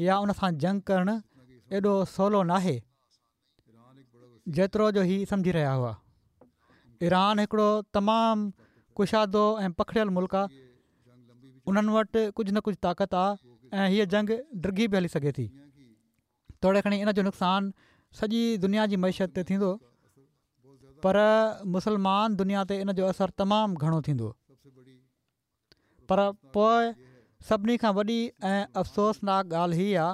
يا ان سان جنگ ڪرڻ ايڏو سولو ناهي. جيترو جو هي سمجهي رهيا هئا. ايران هڪڙو تمام ڪشادو ۽ پکڙيل ملڪ آ. انهن وٽ ڪجهه نه ڪجهه طاقت آ ۽ هيء جنگ ڊگهي به هلي سگهي ٿي. توڙي کڻي ان جو نقصان سڄي دنيا جي معيشت تي ٿيندو. پر مسلمان دنيا تي ان جو اثر تمام گهڻو ٿيندو. پر پوء سڀني کان وڏي ۽ افسوسناڪ ڳالهه هي آ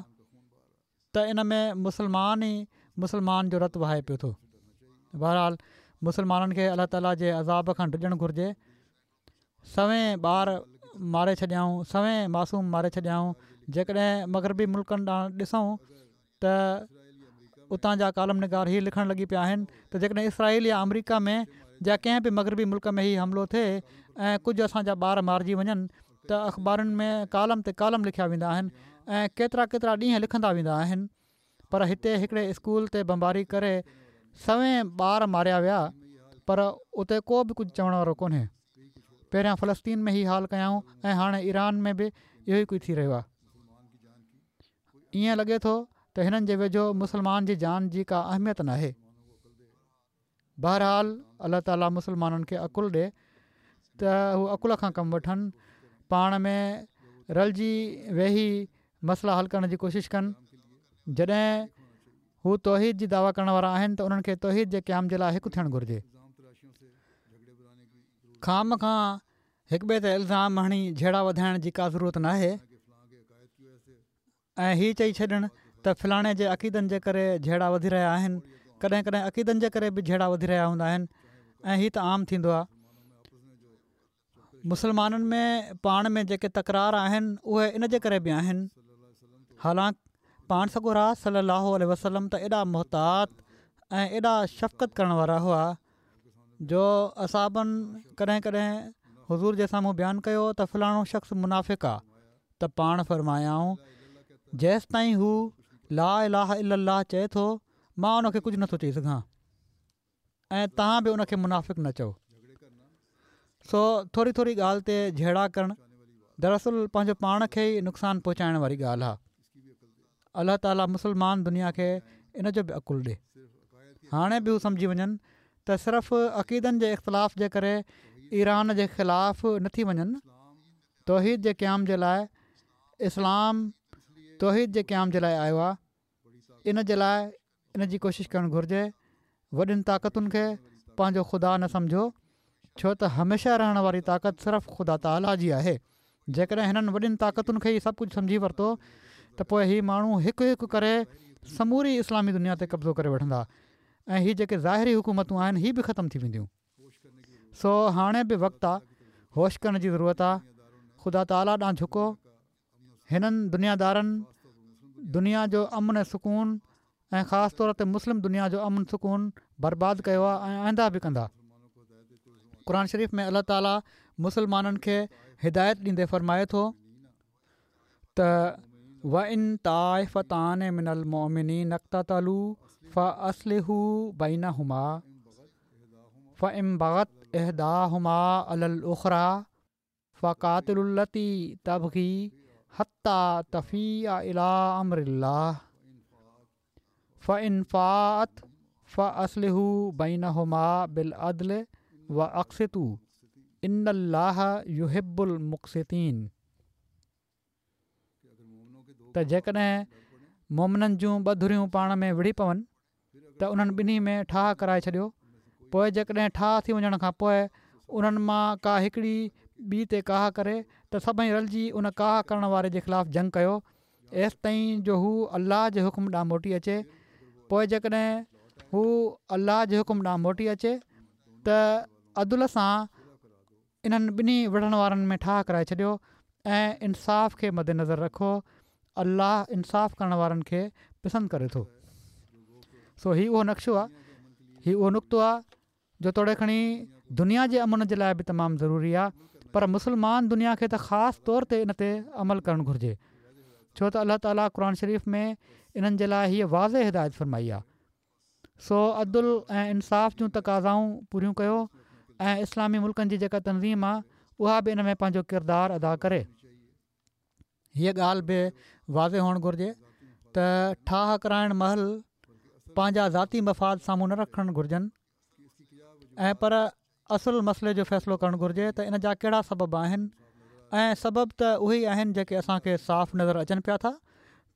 ته ان ۾ مسلمان ئي مسلمان جو رت وهائي پيو ٿو. بهرحال مسلمانن کي الله تعالي جي عذاب کان ڊڄڻ گهرجي. سوين ٻار ماري ڇڏيائون، سوين معصوم ماري ڇڏيائون. جيڪڏهن مغربي ملڪن ڏانهن ڏسون ته اتان جا ڪالم نگار هي لکڻ لڳي پيا آهن ته جيڪڏهن اسرائيل يا آمريڪا ۾ يا ڪنهن به مغربي ملڪ ۾ هي حملو ٿئي ۽ ڪجهه اسان جا ٻار مارجي وڃن ته اخبارن ۾ ڪالم تي ڪالم لکيا ويندا آهن ۽ ڪيترا ڪيترا ڏينهن لکندا ويندا آهن پر هتي هڪڙي اسڪول تي بمباري ڪري سوين ٻار ماريا ويا پر اتي ڪو به ڪجهه چوڻ وارو ڪونهي. پهريان فلسطين ۾ هي حال ڪيائون ۽ هاڻي ايران ۾ به اهو ئي ڪجهه ٿي رهيو آهي. ائين لڳي ٿو ته هنن جي ويجهو مسلمان جي جان جي ڪا اهميت ناهي. بهرحال الله تعالي مسلمانن کي عقل ڏي ته هو عقل کان ڪم وٺن، پاڻ ۾ رلجي ويهي مسئلا حل ڪرڻ جي ڪوشش ڪن. جڏهن هو توحيد جي دعويٰ ڪرڻ وارا آهن ته انهن کي توحيد جي قيام جي لاء هڪ ٿيڻ گهرجي. خوامخواه هڪٻئي تي الزام هڻي جهيڙا وڌائڻ جي ڪا ضرورت ناهي. ۽ هي چئي ڇڏڻ ته فلاڻي جي عقيدن جي ڪري جهيڙا وڌي رهيا آهن، ڪڏهن ڪڏهن عقيدن جي ڪري به جهيڙا وڌي رهيا هوندا آهن ۽ هي ته عام ٿيندو آهي. مسلمانن ۾ پاڻ ۾ جيڪي تڪرار آهن اهي ان جي ڪري به آهن. حالانڪ پاڻ سڳورا صلي الله عليه وسلم ته ايڏا محتاط ۽ ايڏا شفقت ڪرڻ وارا هئا جو اصحابن ڪڏهن ڪڏهن حضور جي سامهون بيان ڪيو ته فلاڻو شخص منافق آ ته پاڻ فرمايائون، جيستائين هو لا اله الا الله چئي ٿو مان ان کي ڪجهه نٿو چئي سگهان ۽ توهان به ان کي منافق نه چئو. سو ٿوري ٿوري ڳالهه تي جهيڙا ڪرڻ دراصل پنهنجو پاڻ کي ئي نقصان پهچائڻ واري ڳالهه آهي. الله تعالي مسلمان دنيا کي ان جو به عقل ڏي. هاڻي به هو سمجهي وڃن ته صرف عقيدن جي اختلاف جي ڪري ايران جي خلاف نه ٿي وڃن. توحيد جي قيام جي لاء اسلام توحيد جي قيام جي لاء آيو آهي ان جي لاء ان جي ڪوشش ڪرڻ گهرجي وڏين طاقتن کي پنهنجو خدا نه سمجهو ڇو ته هميشه رهڻ واري طاقت صرف خدا تعاليٰ جي آهي جيڪڏهن هنن وڏين طاقتن کي ئي سڀ ڪجهه سمجهي ورتو ته پوء هي ماڻهو هڪ هڪ ڪري سموري اسلامي دنيا تي قبضو ڪري وٺندا ۽ هي جيڪي ظاهري حڪومتون آهن هي به ختم ٿي وينديون. سو هاڻي به وقت آ، هوش ڪرڻ جي ضرورت آ، خدا تعاليٰ ڏانهن جهڪو، هنن دنيادارن دنيا جو امن ۽ سڪون ۽ خاص طور تي مسلم دنيا جو امن سڪون برباد ڪيو آ ۽ آئنده به ڪندا. قرآن شريف ۾ الله تعاليٰ مسلمانن کي هدايت ڏيندي فرمائي ٿو. ته وان طائفتان من المؤمنين اقتتلوا فاصلحوا بينهما فان بغت احداهما علي الاخري فقاتلوا التي تبغي حتي تفيء الي امر الله فان فاءت فاصلحوا بينهما بالعدل واقسطوا ان الله يحب المقسطين ته جيڪڏهن مؤمنن جون ٻه ڌريون پاڻ ۾ وڙهي پون ته انهن ٻنهي ۾ ٺاهه ڪرائي ڇڏيو پوء جيڪڏهن ٺاهه ٿي وڃڻ کان پوء انهن مان ڪا هڪڙي ٻي تي ڪاهه ڪري ته سڀئي رلجي ان ڪاهه ڪرڻ واري جي خلاف جنگ ڪيو ايستائين جو هو الله جي حڪم ڏانهن موٽي اچي پوء جيڪڏهن هو الله جي حڪم ڏانهن موٽي اچي ته عدل سان انهن ٻنهي وڙهڻ وارن ۾ ٺاهه ڪرائي ڇڏيو ۽ انصاف کي مدنظر رکو، الله انصاف ڪرڻ وارن کي پسند ڪري ٿو. سو هي اهو نقشو آ، هي اهو نقطو آ جو توڙي کڻي دنيا جي امن جي لاء به تمام ضروري آ پر مسلمان دنيا کي ته خاص طور تي ان تي عمل ڪرڻ گهرجي ڇو ته الله تعاليٰ قرآن شريف ۾ انهن جي لاء هيء واضح هدايت فرمائي آ. سو عدل ۽ انصاف جون تقاضائون پوريون ڪيو ۽ اسلامي ملڪن جي جيڪا تنظيم آ اها به ان ۾ پنهنجو ڪردار ادا ڪري. هيء ڳالهه به واضح هئڻ گهرجي ته ٺاهه ڪرائڻ مهل پنهنجا ذاتي مفاد سامهون نه رکڻ گهرجن ۽ پر اصل مسئلي جو فيصلو ڪرڻ گهرجي ته ان جا ڪهڙا سبب آهن ۽ سبب ته اهي ئي آهن جيڪي اسان کي صاف نظر اچن پيا ٿا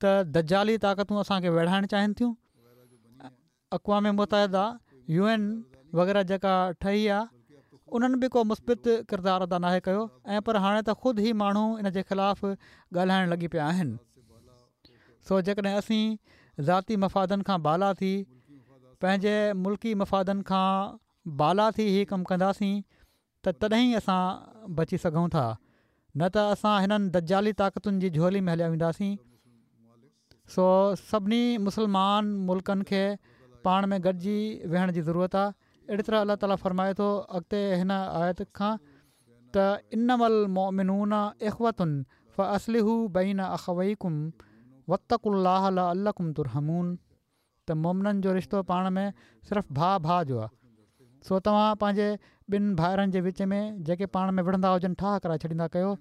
ته دجالي طاقتون اسان کي ويڙهائڻ چاهين ٿيون اقوام متحده يو اين وغيره جيڪا ٺهي آ انهن به ڪو مثبت ڪردار ادا ناهي ڪيو ۽ پر هاڻي ته خود هي ماڻهو ان جي خلاف ڳالهائڻ لڳي پيا آهن. سو جيڪڏهن اسين ذاتي مفادن کان بالا ٿي پنهنجي ملڪي مفادن کان بالا ٿي هي ڪم ڪنداسين ته تڏهن ئي اسان بچي سگهون ٿا نه ته اسان هنن دجالي طاقتن جي جهولي ۾ هليا وينداسين. سو سڀني مسلمان ملڪن کي پاڻ ۾ گڏجي ويهڻ جي ضرورت آهي. اهڙي طرح الله تعالي فرمائي ٿو اڳتي هن آيت کان ته انما المؤمنون اخوة فاصلحوا بين اخويڪم واتقوا الله لعلڪم ترحمون. ته مؤمنن جو رشتو پاڻ ۾ صرف ڀاء ڀاء جو آهي سو توهان پنهنجي ٻن ڀائرن جي وچ ۾ جيڪي پاڻ ۾ وڙهندا هجن ٺاهه ڪرائي ڇڏيندا ڪيو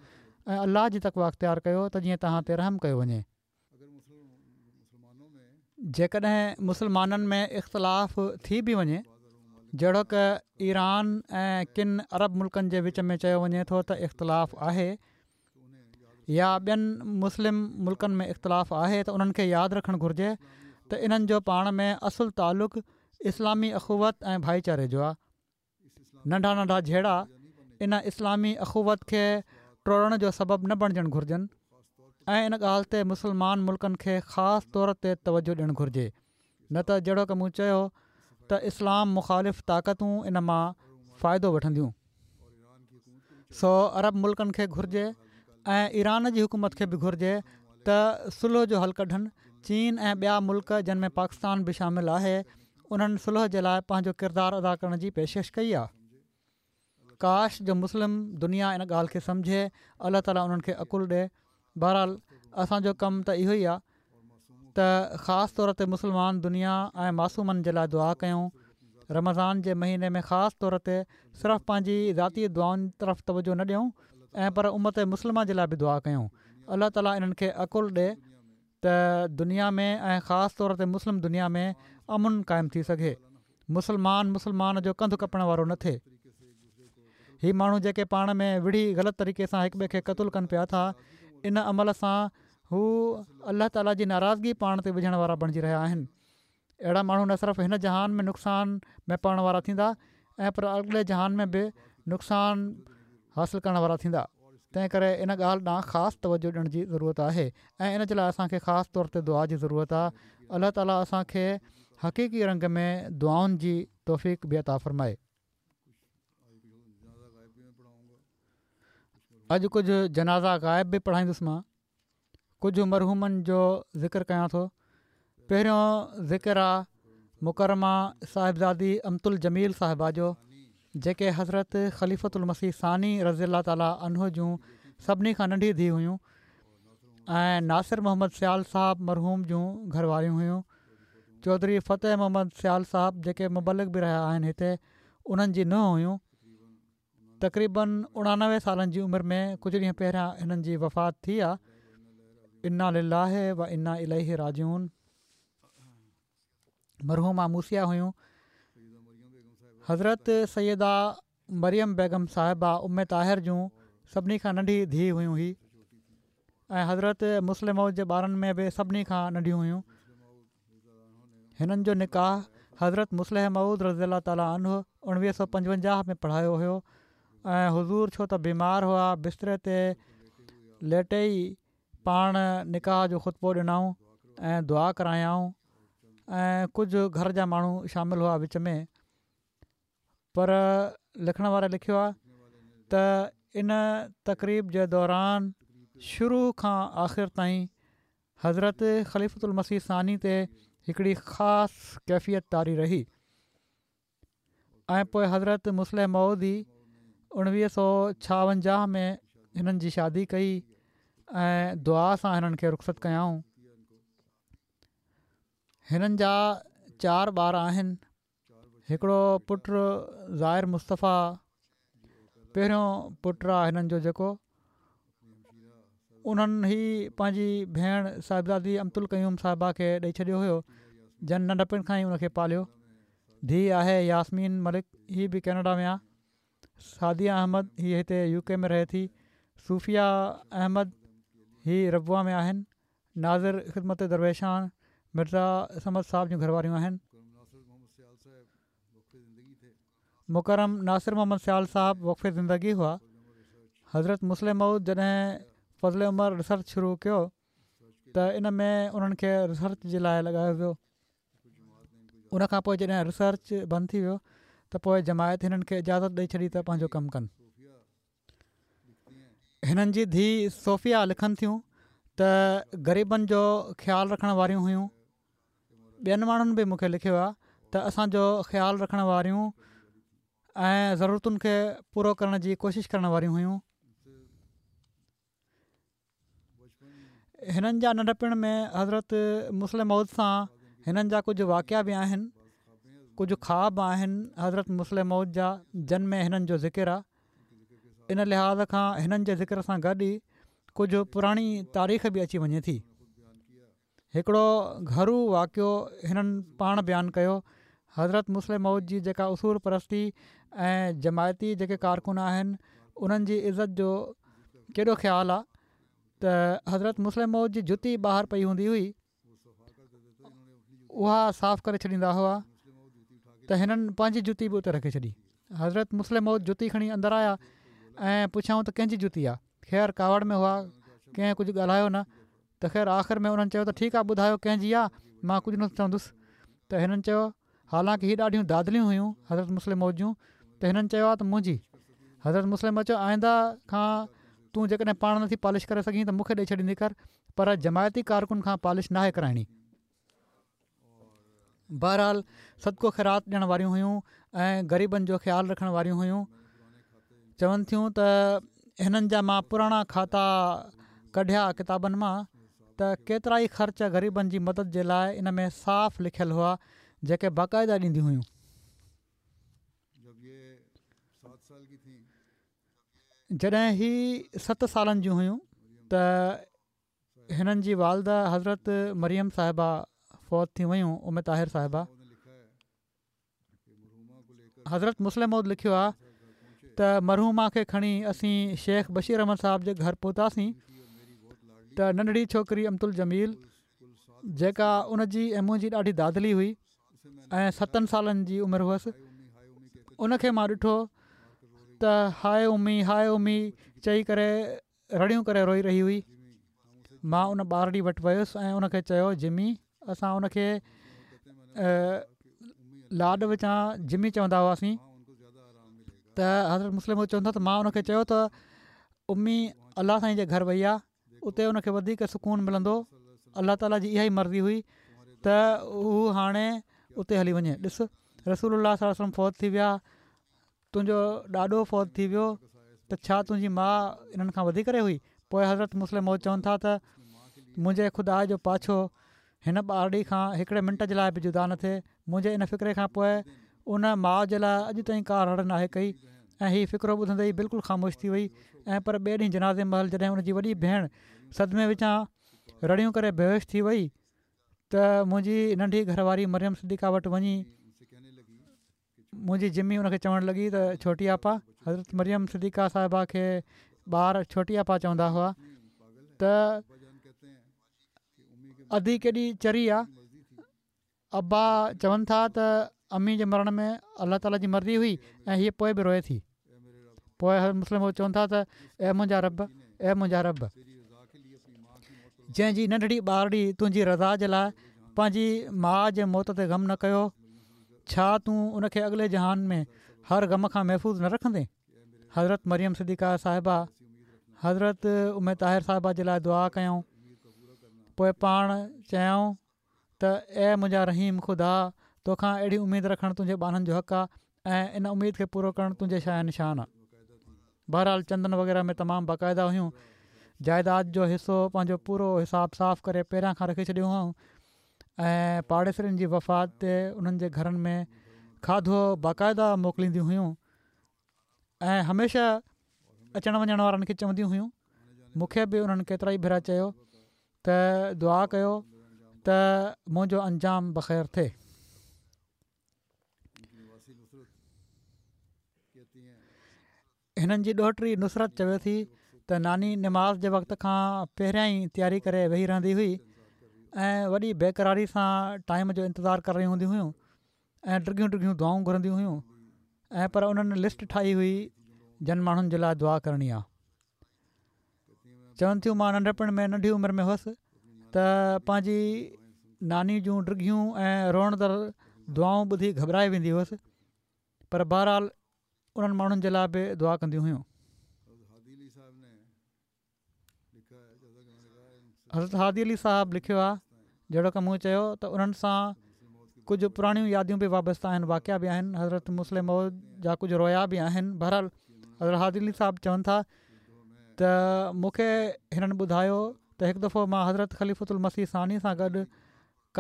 ۽ الله جي تقويٰ اختيار ڪيو ته جيئن توهان تي رحم ڪيو وڃي. جيڪڏهن مسلمانن ۾ اختلاف ٿي به وڃي جهڙوڪ ايران ۽ ڪن عرب ملڪن جي وچ ۾ چيو وڃي ٿو ته اختلاف آهي يا ٻين مسلم ملڪن ۾ اختلاف آهي ته انهن کي ياد رکڻ گهرجي ته انهن جو پاڻ ۾ اصل تعلق اسلامي اخوت ۽ ڀائيچاري جو آهي. ننڍا ننڍا جهيڙا ان اسلامي اخوت کي ٽوڙڻ جو سبب نه بڻجڻ گهرجن ۽ ان ڳالهه تي مسلمان ملڪن کي خاص طور تي توجهه ڏيڻ گهرجي نه ته جهڙوڪ مون چيو ته اسلام مخالف طاقتون ان مان فائدو وٺنديون. سو عرب ملڪن کي گهرجي ۽ ايران جي حڪومت کي به گهرجي ته صلح جو حل ڪڍن، چين ۽ ٻيا ملڪ جن ۾ پاڪستان به شامل آهي انهن صلح جي لاء پنهنجو ڪردار ادا ڪرڻ جي پيشڪش ڪئي آهي. ڪاش جو مسلم دنيا ان ڳالهه کي سمجهي، الله تعالي انهن کي عقل ڏي. بهرحال اسان جو ڪم ته اهو ئي آهي ته خاص طور تي مسلمان دنيا ۽ معصومن جي لاء دعا ڪيون رمضان جي مهيني ۾ خاص طور تي صرف پنهنجي ذاتي دعائن طرف توجه نه ڏيون ۽ پر امت مسلمه جي لاء به دعا ڪيون الله تعالي انهن کي عقل ڏي ته دنيا ۾ ۽ خاص طور تي مسلم دنيا ۾ امن قائم ٿي سگهي مسلمان مسلمان جو ڪنڌ ڪپڻ وارو نه ٿئي. هي ماڻهو جيڪي پاڻ ۾ وڙهي غلط طريقي سان هڪ ٻئي کي قتل ڪن پيا ٿا ان عمل سان هو الله تعالي جي ناراضگي پاڻ تي وجهڻ وارا بڻجي رهيا آهن. اهڙا ماڻهو نه صرف هن جهان ۾ نقصان ۾ پوڻ وارا ٿيندا ۽ پر اڳلي جهان ۾ به نقصان حاصل ڪرڻ وارا ٿيندا. تنهن ڪري ان ڳالهه ڏانهن خاص توجهه ڏيڻ جي ضرورت آهي ۽ ان جي لاء اسان کي خاص طور تي دعا جي ضرورت آهي. الله تعالي اسان کي حقيقي رنگ ۾ دعائن جي توفيق به عطا فرمائي. اڄ ڪجهه جنازا غائب به پڙهائيندس مان. ڪجهه مرحومن جو ذڪر ڪيان ٿو. پهريون ذڪر آ مڪرمه صاحبزادي امة الجميل صاحبه جو جيڪي حضرت خليفة المسيح ثاني رضي الله تعالٰي عنه جون سڀني کان ننڍي ڌيء هيون ۽ ناصر محمد سيال صاحب مرحوم جون گهر واريون هيون. چوڌري فتح محمد سيال صاحب جيڪي مبلغ به رهيا آهن هتي انهن جي ننهن هيون. تقريباً 89 سالن جي عمر ۾ ڪجهه ڏينهن پهريان هنن جي وفات ٿي آ. انا لله و انا اليه راجعون. مرحومه موصيه هيون. حضرت سيده مريم بيگم صاحبه ام طاهر جون سڀني کان ننڍي ڌيء هيون هي ۽ حضرت مصلح موعود جي ٻارن ۾ به سڀني کان ننڍيون هيون. هنن جو نڪاح حضرت مصلح موعود رضي الله تعالٰي عنه 1955 ۾ پڙهايو هيو ۽ حضور ڇو ته بيمار هئا بستري تي ليٽي ئي پاڻ نڪاح جو خطبو ڏنائون ۽ دعا ڪرايائون ۽ ڪجهه گهر جا ماڻهو شامل هئا وچ ۾ پر لکڻ واري لکيو آهي ته ان تقريب جي دوران شروع کان آخر تائين حضرت خليفة المسيح ثاني تي هڪڙي خاص ڪيفيت طاري رهي ۽ پوء حضرت مصلح موعود ئي 1956 ۾ هنن جي شادي ڪئي ۽ دعا سان هنن کي رخصت ڪيائون. هنن جا چار ٻار آهن. هڪڙو پٽ زائر مصطفيٰ پهريون پٽ آ هنن جو جيڪو انهن هي پنهنجي ڀيڻ صاحبزادي امت القيوم صاحبه کي ڏئي ڇڏيو هيو جن ننڍپڻ کان ئي ان کي پاليو ڌيء آهي ياسمين ملڪ هي به ڪينيڊا ۾ آ سعديه احمد هي هتي يو ڪي ۾ رهي ٿي صوفيه احمد هي ربوه ۾ آهن ناظر خدمت درويشان مرزا صمد صاحب جون گهر واريون آهن. مڪرم ناصر محمد سيال صاحب وقف زندگي هئا. حضرت مصلح موعود جڏهن فضل عمر ريسرچ شروع ڪيو ته ان ۾ انهن کي ريسرچ جي لاء لڳايو ويو. ان کان پوء جڏهن ريسرچ بند ٿي ويو ته پوء جماعت هنن کي اجازت ڏئي ڇڏي ته پنهنجو ڪم ڪن. هنن جي ڌيء صوفيا لکن ٿيون ته غريبن جو خيال رکڻ واريون هيون. ٻين ماڻهن به مون کي لکيو آهي ته اسان جو خيال رکڻ واريون ۽ ضرورتن کي پورو ڪرڻ جي ڪوشش ڪرڻ واريون هيون. هنن جا ننڍپڻ ۾ حضرت مصلح موعود سان هنن جا ڪجهه واقعا به آهن ڪجهه خواب آهن حضرت مصلح موعود جا جن ۾ هنن جو ذڪر آهي ان لحاظ کان هنن جي ذڪر سان گڏ ئي ڪجهه پراڻي تاريخ به اچي وڃي ٿي. هڪڙو گهرو واقعو هنن پاڻ بيان ڪيو، حضرت مصلح موعود جي جيڪا اصول پرستي ۽ جماعتي جيڪي ڪارڪن آهن انهن جي عزت جو ڪيڏو خيال آ ته حضرت مصلح موعود جي جتي ٻاهر پئي هوندي هئي اها صاف ڪري ڇڏيندا هئا ته هنن پنهنجي جتي به اتي رکي ڇڏي. حضرت مصلح موعود جتي کڻي اندر آيا ۽ پڇيائون ته ڪنهن جي جتي آ؟ خير ڪاوڙ ۾ هئا ڪنهن ڪجهه ڳالهايو نه ته خير آخر ۾ انهن چيو ته ٺيڪ آ ٻڌايو ڪنهن جي آ مان ڪجهه نه چوندس ته هنن چيو حالانڪ هي ڏاڍيون دادليون هيون حضرت مصلح موعود جون ته هنن چيو آ ته منهنجي حضرت مصلح موعود چيو آئنده کان تون جيڪڏهن پاڻ نٿي پالش ڪري سگهين ته مون کي ڏئي ڇڏيندي ڪر پر جماعتي ڪارڪن کان پالش ناهي ڪرائڻي. بهرحال صدقو خيرات ڏيڻ واريون هيون ۽ غريبن جو خيال رکڻ واريون هيون چون ٿيون ته هنن جا مان پراڻا کاتا ڪڍيا ڪتابن مان ته ڪيترائي خرچ غريبن جي مدد جي لاء ان ۾ صاف لکيل هئا جيڪي باقاعده ڏينديون هيون. جڏهن هي ست سالن جون هيون ته هنن جي والده حضرت مريم صاحبه فوت ٿي ويون ام طاهر صاحبه. حضرت مصلح موعود لکيو آهي ته مرحومه کي کڻي اسين شيخ بشير احمد صاحب جي گهر پهتاسين ته ننڍڙي ڇوڪري امت الجميل جيڪا ان جي ۽ منهنجي ڏاڍي دادلي هئي ۽ ستن سالن جي عمر هئس ان کي مان ڏٺو ته هاء امي هاء امي چئي ڪري رڙيون ڪري روئي رهي هئي. مان ان ٻارڙي وٽ ويس ۽ ان کي چيو جمي، اسان ان کي لاڏ وچان جمي چوندا هئاسين ته حضرت مصلح موعود چون ٿا ته مان ان کي چيو ته امي الله سائين جي گهر وئي آهي اتي ان کي وڌيڪ سڪون ملندو الله تعالي جي اها ئي مرضي هئي ته هو هاڻي اتي هلي وڃي ڏس رسول الله صلي الله عليه وسلم فوت ٿي ويا تنهنجو ڏاڏو فوت ٿي ويو ته ڇا تنهنجي ماء انهن کان وڌي ڪري هئي؟ پوء حضرت مصلح موعود چون ٿا ته منهنجي خدا جو پاڇو هن ٻارڙي کان هڪڙي منٽ جي لاء به جدا نه ٿئي. منهنجي ان فقري کان پوء ان ماء جي لاء اڄ تائين ڪا رڙ ناهي ڪئي ۽ هي فقرو ٻڌندي ئي بلڪل خاموش ٿي وئي ۽ پر ٻئي ڏينهن جنازي مهل جڏهن ان جي وڏي ڀيڻ صدمي وچان رڙيون ڪري بيهوش ٿي وئي ته منهنجي ننڍي گهر واري مريم صديقه وٽ وڃي منهنجي جمي ان کي چوڻ لڳي ته ڇوٽي آپا، حضرت مريم صديقه صاحبه کي ٻار ڇوٽي آپا چوندا هئا ته ادي ڪيڏي چري آ، ابا چون ٿا ته امي جي مرڻ ۾ الله تعالي جي مرضي هئي ۽ هيء پوء به روئي ٿي. پوء حضرت مصلح موعود چون ٿا ته اي منهنجا رب! اي منهنجا رب! جنهن جي ننڍڙي ٻارڙي تنهنجي رضا جي لاء پنهنجي ماء جي موت تي غم نه ڪيو، ڇا تون ان کي اڳلي جهان ۾ هر غم کان محفوظ نه رکندين؟ حضرت مريم صديقه صاحبه حضرت ام طاهر صاحبه جي لاء دعا ڪيائون پوء پاڻ چيائون ته اي منهنجا رحيم خدا! توکان اهڙي اميد رکڻ تنهنجي ٻانهن جو حق آهي ۽ ان اميد کي پورو ڪرڻ تنهنجي شايان شان آهي. بهرحال چندن وغيره ۾ تمام باقاعده هيون. جائيداد جو حصو پنهنجو پورو حساب صاف ڪري پهريان کان رکي ڇڏيو هئائون ۽ پاڙيسرين جي وفات تي انهن جي گهرن ۾ کاڌو باقاعده موڪلينديون هيون ۽ هميشه اچڻ وڃڻ وارن کي چونديون هيون. مون کي به انهن ڪيترائي ڀيرا چيو ته دعا ڪيو ته منهنجو انجام بخير ٿئي. هنن جي ڏوهٽي نصرت چوي ٿي ته ناني نماز جي وقت کان پهريان ئي تياري ڪري ويهي رهندي هئي ۽ وڏي بيقراري سان ٽائيم جو انتظار ڪري رهيون هونديون هيون ۽ ڊگهيون ڊگهيون دعائون گهرنديون هيون. ۽ پر انهن لسٽ ٺاهي هئي جن ماڻهن جي لاء دعا ڪرڻي آ. چون ٿيون مان ننڍپڻ ۾ ننڍي عمر ۾ هئس ته پنهنجي ناني جون ڊگهيون ۽ روئندڙ دعائون ٻڌي گهٻرائي ويندي هئس پر بهرحال انهن ماڻهن جي لاء به دعا ڪنديون هيون. حضرت هادي علي صاحب لکيو آهي جهڙوڪ مون چيو ته انهن سان ڪجهه پراڻيون ياديون به وابسته آهن واقعا به آهن حضرت مصلح موعود جا ڪجهه رويا به آهن بهرحال حضرت هادي علي صاحب چون ٿا ته مون کي هنن ٻڌايو ته هڪ دفعو مان حضرت خليفة المسيح ثاني سان گڏ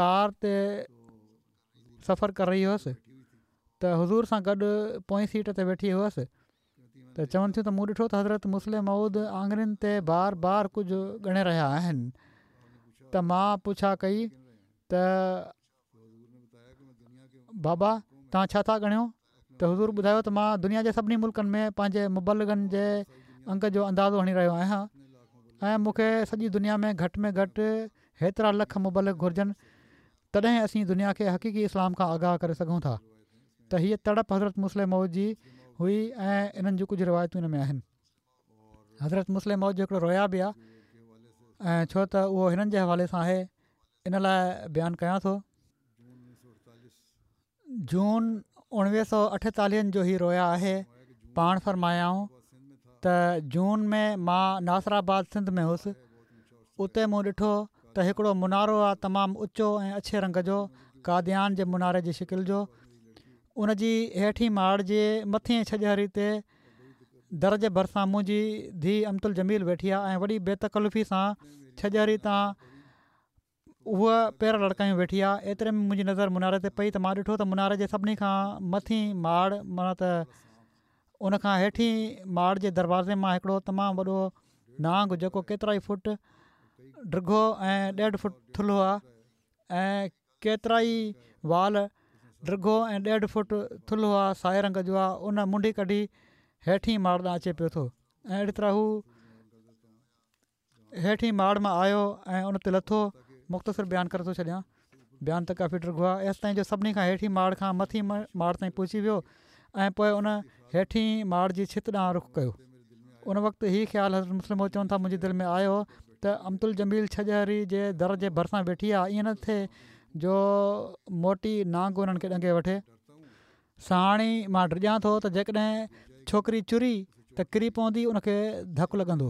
ڪار تي سفر ڪري رهي هيس ته حضور سان گڏ پوئين سيٽ تي ويٺي هيس ته چون ٿيون ته مون ڏٺو ته حضرت مصلح موعود آڱرين تي بار بار ڪجهه ڳڻي رهيا آهن ته مان پڇا ڪئي ته بابا توهان ڇا ٿا ڳڻيو ته حضور ٻڌايو ته مان دنيا جي سڀني ملڪن ۾ پنهنجي مبلغن جي انگ جو اندازو هڻي رهيو آهيان ۽ مون کي سڄي دنيا ۾ گهٽ ۾ گهٽ هيترا لک مبلغ گهرجن تڏهن اسين دنيا کي حقيقي اسلام کان آگاهه ڪري سگهون ٿا ته هيء تڙپ حضرت مصلح موعود جي هئي ۽ انهن جون ڪجهه روايتون ان ۾ آهن. حضرت مصلح موعود جو هڪڙو رويا به آهي ۽ ڇو ته اهو هنن جي حوالي سان آهي ان لاء بيان ڪيان ٿو. جون 1948 جو هي رويا آهي، پاڻ فرمايائون ته جون ۾ مان ناصر آباد سنڌ ۾ هوس، اتي مون ڏٺو ته هڪڙو منارو آ تمام اچو ۽ اڇي رنگ جو قاديان جي مناري جي شڪل جو، ان جي هيٺين ماڙ جي مٿين ڇڄهري تي در جي ڀرسان منهنجي ڌيء امة الجميل ويٺي آ ۽ وڏي بي تڪلفي سان ڇڄهري تان هوء پير لڙڪايون ويٺي آ. ايتري ۾ منهنجي نظر مناري تي پئي ته مان ڏٺو ته مناري جي سڀني کان مٿين ماڙ معنيٰ ته ان کان هيٺين ماڙ جي دروازي مان هڪڙو تمام وڏو نانگ جيڪو ڪيترائي فوٽ ڊگهو ۽ ڏيڍ فوٽ ٿلهو آ ۽ ڪيترائي وال ڊگهو ۽ ڏيڍ فوٽ ٿلهو آ سائي رنگ جو آ ان منڍي ڪڍي هيٺين ماڙ ڏانهن اچي پيو ٿو ۽ اهڙي طرح هو هيٺين ماڙ مان آيو ۽ ان تي لٿو، مختصر بيان ڪري ٿو ڇڏيان، بيان ته ڪافي ڊگهو آهي، ايستائين جو سڀني کان هيٺين ماڙ کان مٿين ماڙ تائين پهچي ويو ۽ پوء ان هيٺين ماڙ جي ڇت ڏانهن رخ ڪيو. ان وقت هي خيال حضرت مصلح موعود چون ٿا منهنجي دل ۾ آيو ته امت الجميل ڇڄهري جي در جي ڀرسان ويٺي آهي ائين نه ٿئي جو موٽي نانگ انهن کي ڏنگي وٺي. ساڻ ئي مان ڊڄان ٿو ته جيڪڏهن ڇوڪري چري ته ڪري پوندي ان کي ڌڪ لڳندو.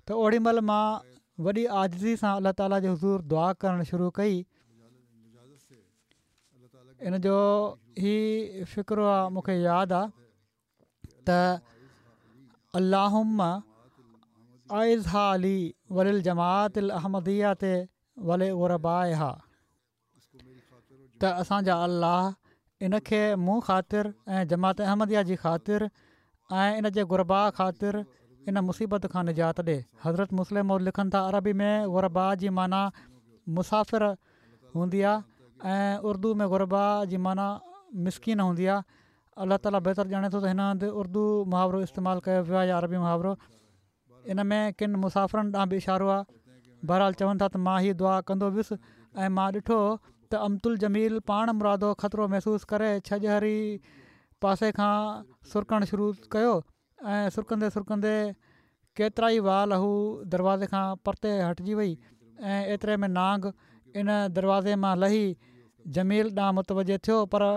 ته اوڏي مهل مان وڏي عاجزي سان الله تعالي جي حضور دعا ڪرڻ شروع ڪئي. ان جو هي فقرو آ مون کي ياد آ ته اللهم اعذها لي وللجماعة الاحمدية ولغربائها. ته اسان جا الله ان کي مون خاطر ۽ جماعت احمديه جي خاطر ۽ ان جي غرباء خاطر ان مصيبت کان نجات ڏي. حضرت مصلح موعود لکن ٿا عربي ۾ غرباء جي معنيٰ مسافر هوندي آهي ۽ اردو ۾ غرباء جي معنيٰ مسڪين هوندي آهي. الله تعاليٰ بهتر ڄاڻي ٿو ته هن هنڌ اردو محاورو استعمال ڪيو ويو آهي يا عربي محاورو. ان ۾ ڪن مسافرن ڏانهن به اشارو آهي. بهرحال چون ٿا ته مان هي دعا ڪندو ويس ۽ مان ڏٺو ته امت الجميل پاڻ مرادو خطرو محسوس ڪري ڇڄهري پاسي کان سرڪڻ شروع ڪيو ۽ سرڪندي سرڪندي ڪيترائي وال هو دروازي کان پرتي هٽجي وئي ۽ ايتري ۾ نانگ ان دروازي مان لهي جميل ڏانهن متوجه ٿيو پر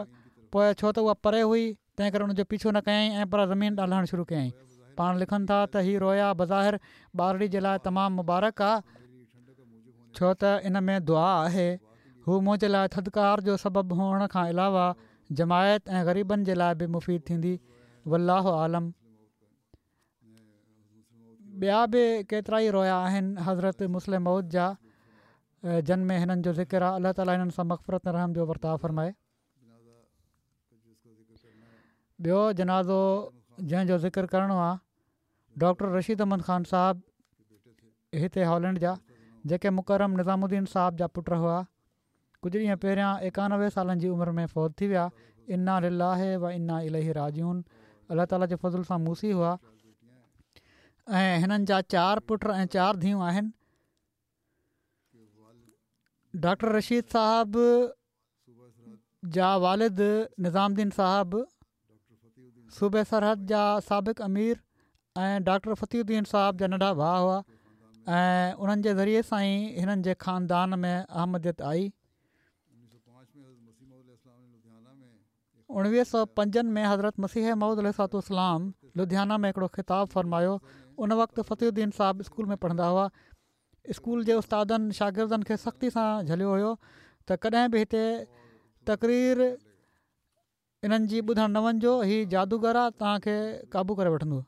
پوء ڇو ته اها پري هئي تنهن ڪري ان جو پيڇو نه ڪيائين ۽ پر زمين ڏانهن لهڻ شروع ڪيائين. پاڻ لکن ٿا ته هي رويا بظاهر ٻارڙي جي لاء تمام مبارڪ آ، ڇو ته ان ۾ دعا آهي، هو منهنجي لاء ٿڌڪار جو سبب هئڻ کان علاوه جماعت ۽ غريبن جي لاء به مفيد ٿيندي. والله اعلم. ٻيا به ڪيترائي رويا آهن حضرت مصلح موعود جا جن ۾ هنن جو ذڪر آ. الله تعالي هنن سان مغفرت ۽ رحم جو ورتاء فرمائي. ٻيو جنازو جنهن جو ذڪر ڪرڻو آ ڊاڪٽر رشيد احمد خان صاحب هتي هالينڊ جا جيڪي مڪرم نظام الدين صاحب جا پٽ هئا ڪجهه ڏينهن پهريان 91 سالن جي عمر ۾ فوت ٿي ويا انا لله و انا اليه راجعون الله تعالي جي فضل سان موصي هئا ۽ هنن جا چار پٽ ۽ چار ڌيئون آهن ڊاڪٽر رشيد صاحب جا والد نظام الدين صاحب صوبي سرحد جا سابق امير ۽ ڊاڪٽر فتح الدين صاحب جا ننڍا ڀاء هئا ۽ انهن جي ذريعي سان ئي هنن جي خاندان ۾ احمديت آئي. 1905 ۾ حضرت مسيح موعود عليه الصلوة والسلام لڌيانا ۾ هڪڙو خطاب فرمايو ان وقت فتح الدين صاحب اسڪول ۾ پڙهندا هئا. اسڪول جي استادن شاگردن کي سختي سان جهليو هيو ته ڪڏهن به هتي تقرير انهن جي ٻڌڻ نه وڃجو، هي جادوگر آ، توهان کي قابو ڪري وٺندو.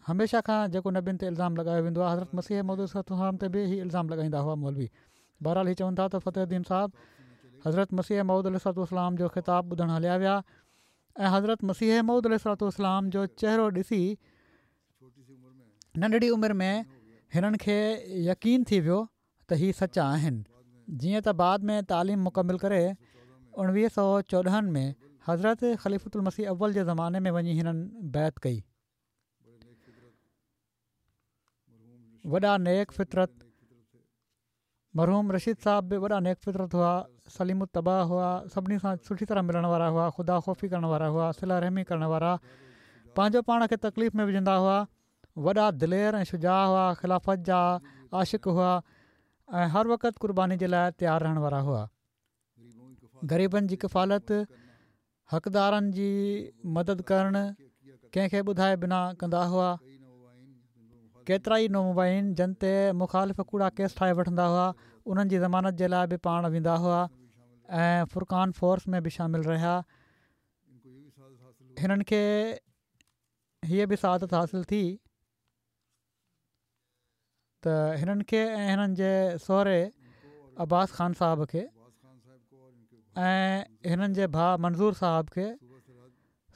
هميشه کان جيڪو نبين تي الزام لڳايو ويندو آ، حضرت مسيح موعود عليه الصلوة والسلام تي به هي الزام لڳائيندا هئا مولوي. بهرحال هي چون ٿا ته فتح الدين صاحب حضرت مسيح موعود عليه الصلوة والسلام جو خطاب ٻڌڻ هليا ويا ۽ حضرت مسيح موعود عليه الصلوة والسلام جو چهرو ڏسي ننڍڙي عمر ۾ هنن کي يقين ٿي ويو ته هي سچا آهن. جيئن ته بعد ۾ تعليم مڪمل ڪري 1914 ۾ حضرت خليفة المسيح اول جي زماني ۾ وڃي هنن بيعت ڪئي. وڏا نيڪ فطرت مرحوم رشيد صاحب به وڏا نيڪ فطرت هئا، سليم الطبع هئا، سڀني سان سٺي طرح ملڻ وارا هئا، خدا خوفي ڪرڻ وارا هئا، صله رحمي ڪرڻ وارا، پنهنجو پاڻ کي تڪليف ۾ وجهندا هئا، وڏا دلير ۽ شجاع هئا، خلافت جا عاشق هئا ۽ هر وقت قرباني جي لاء تيار رهڻ وارا هئا. غريبن جي ڪفالت، حقدارن جي مدد ڪرڻ ڪنهن کي ٻڌائي بنا ڪندا هئا. ڪيترائي نومبائعين جن تي مخالف ڪوڙا ڪيس ٺاهي وٺندا هئا، انهن جي ضمانت جي لاء به پاڻ ويندا هئا ۽ فرقان فورس ۾ به شامل رهيا. هنن کي هيء به سعادت حاصل ٿي ته هنن کي ۽ هنن جي سهري عباس خان صاحب کي ۽ هنن جي ڀاء منظور صاحب کي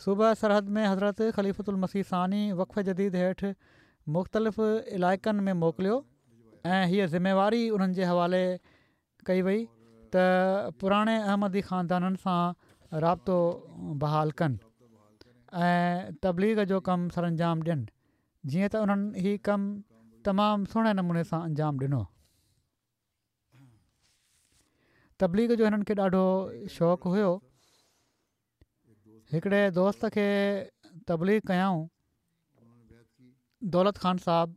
صوبه سرحد ۾ حضرت خليفة المسيح ثاني وقف جديد هيٺ مختلف علائقن ۾ موڪليو ۽ هيء ذميواري انهن جي حوالي ڪئي وئي ته پراڻي احمدي خاندانن سان رابطو بحال ڪن ۽ تبليغ جو ڪم سرانجام ڏين جيئن ته انهن هي ڪم تمام سهڻي نموني سان انجام ڏنو. تبليغ جو هنن کي ڏاڍو شوق هيو. هڪڙي دوست کي تبليغ ڪيائون دولت خان صاحب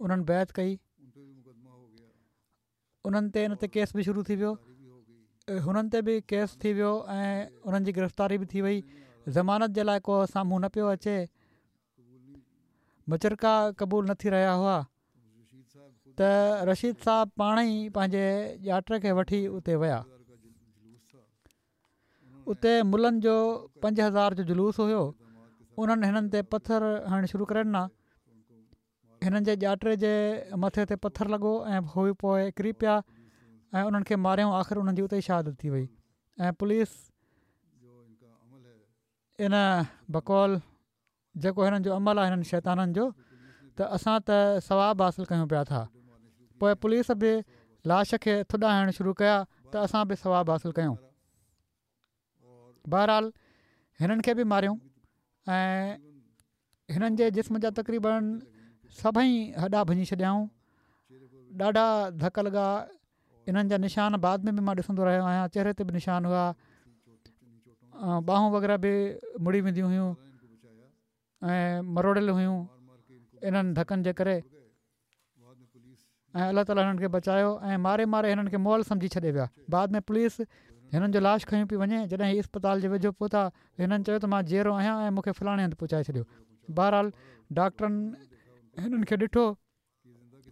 انهن بيعت ڪئي انهن تي ان تي ڪيس به شروع ٿي ويو هنن تي به ڪيس ٿي ويو ۽ انهن جي گرفتاري به ٿي وئي ضمانت جي لاء ڪو سامهون نه پيو اچي مچرڪا قبول نه ٿي رهيا هئا ته رشيد صاحب پاڻ ئي پنهنجي ڄاٽي کي وٺي اتي ويا. اتي ملن جو 5000 جو جلوس هيو انهن هنن تي پٿر هڻڻ شروع ڪري ڏنا. هنن جي ڄاٽي جي مٿي تي پٿر لڳو ۽ هو پوء ڪري پيا ۽ انهن کي ماريائون آخر انهن جي اتي ئي شهادت ٿي وئي ۽ پوليس ان بقول جيڪو هنن جو عمل آهي هنن شيطانن جو ته اسان ته ثواب حاصل ڪيون پيا ٿا پوء پوليس به لاش کي ٿڏا هڻڻ شروع ڪيا ته اسان به ثواب حاصل ڪيون بهرحال هنن کي به ماريائون ۽ هنن جي جسم جا تقريبن سڀئي هڏا ڀڃي ڇڏيائون ڏاڍا ڌڪ لڳا انهن جا نشان بعد ۾ به مان ڏسندو رهيو آهيان چهري تي به نشان هئا ٻانهون وغيره به مڙي وينديون هيون ۽ مروڙيل هيون انهن ڌڪن جي ڪري ۽ الله تعالي هنن کي بچايو ۽ ماري ماري هنن کي مئل سمجهي ڇڏي ويا بعد ۾ پوليس هنن جو لاش کنيو پئي وڃي جڏهن هي اسپتال جي ويجهو پهتا هنن چيو ته مان جيئرو آهيان ۽ مون کي فلاڻي هنڌ پهچائي ڇڏيو بهرحال ڊاڪٽرن هنن کي ڏٺو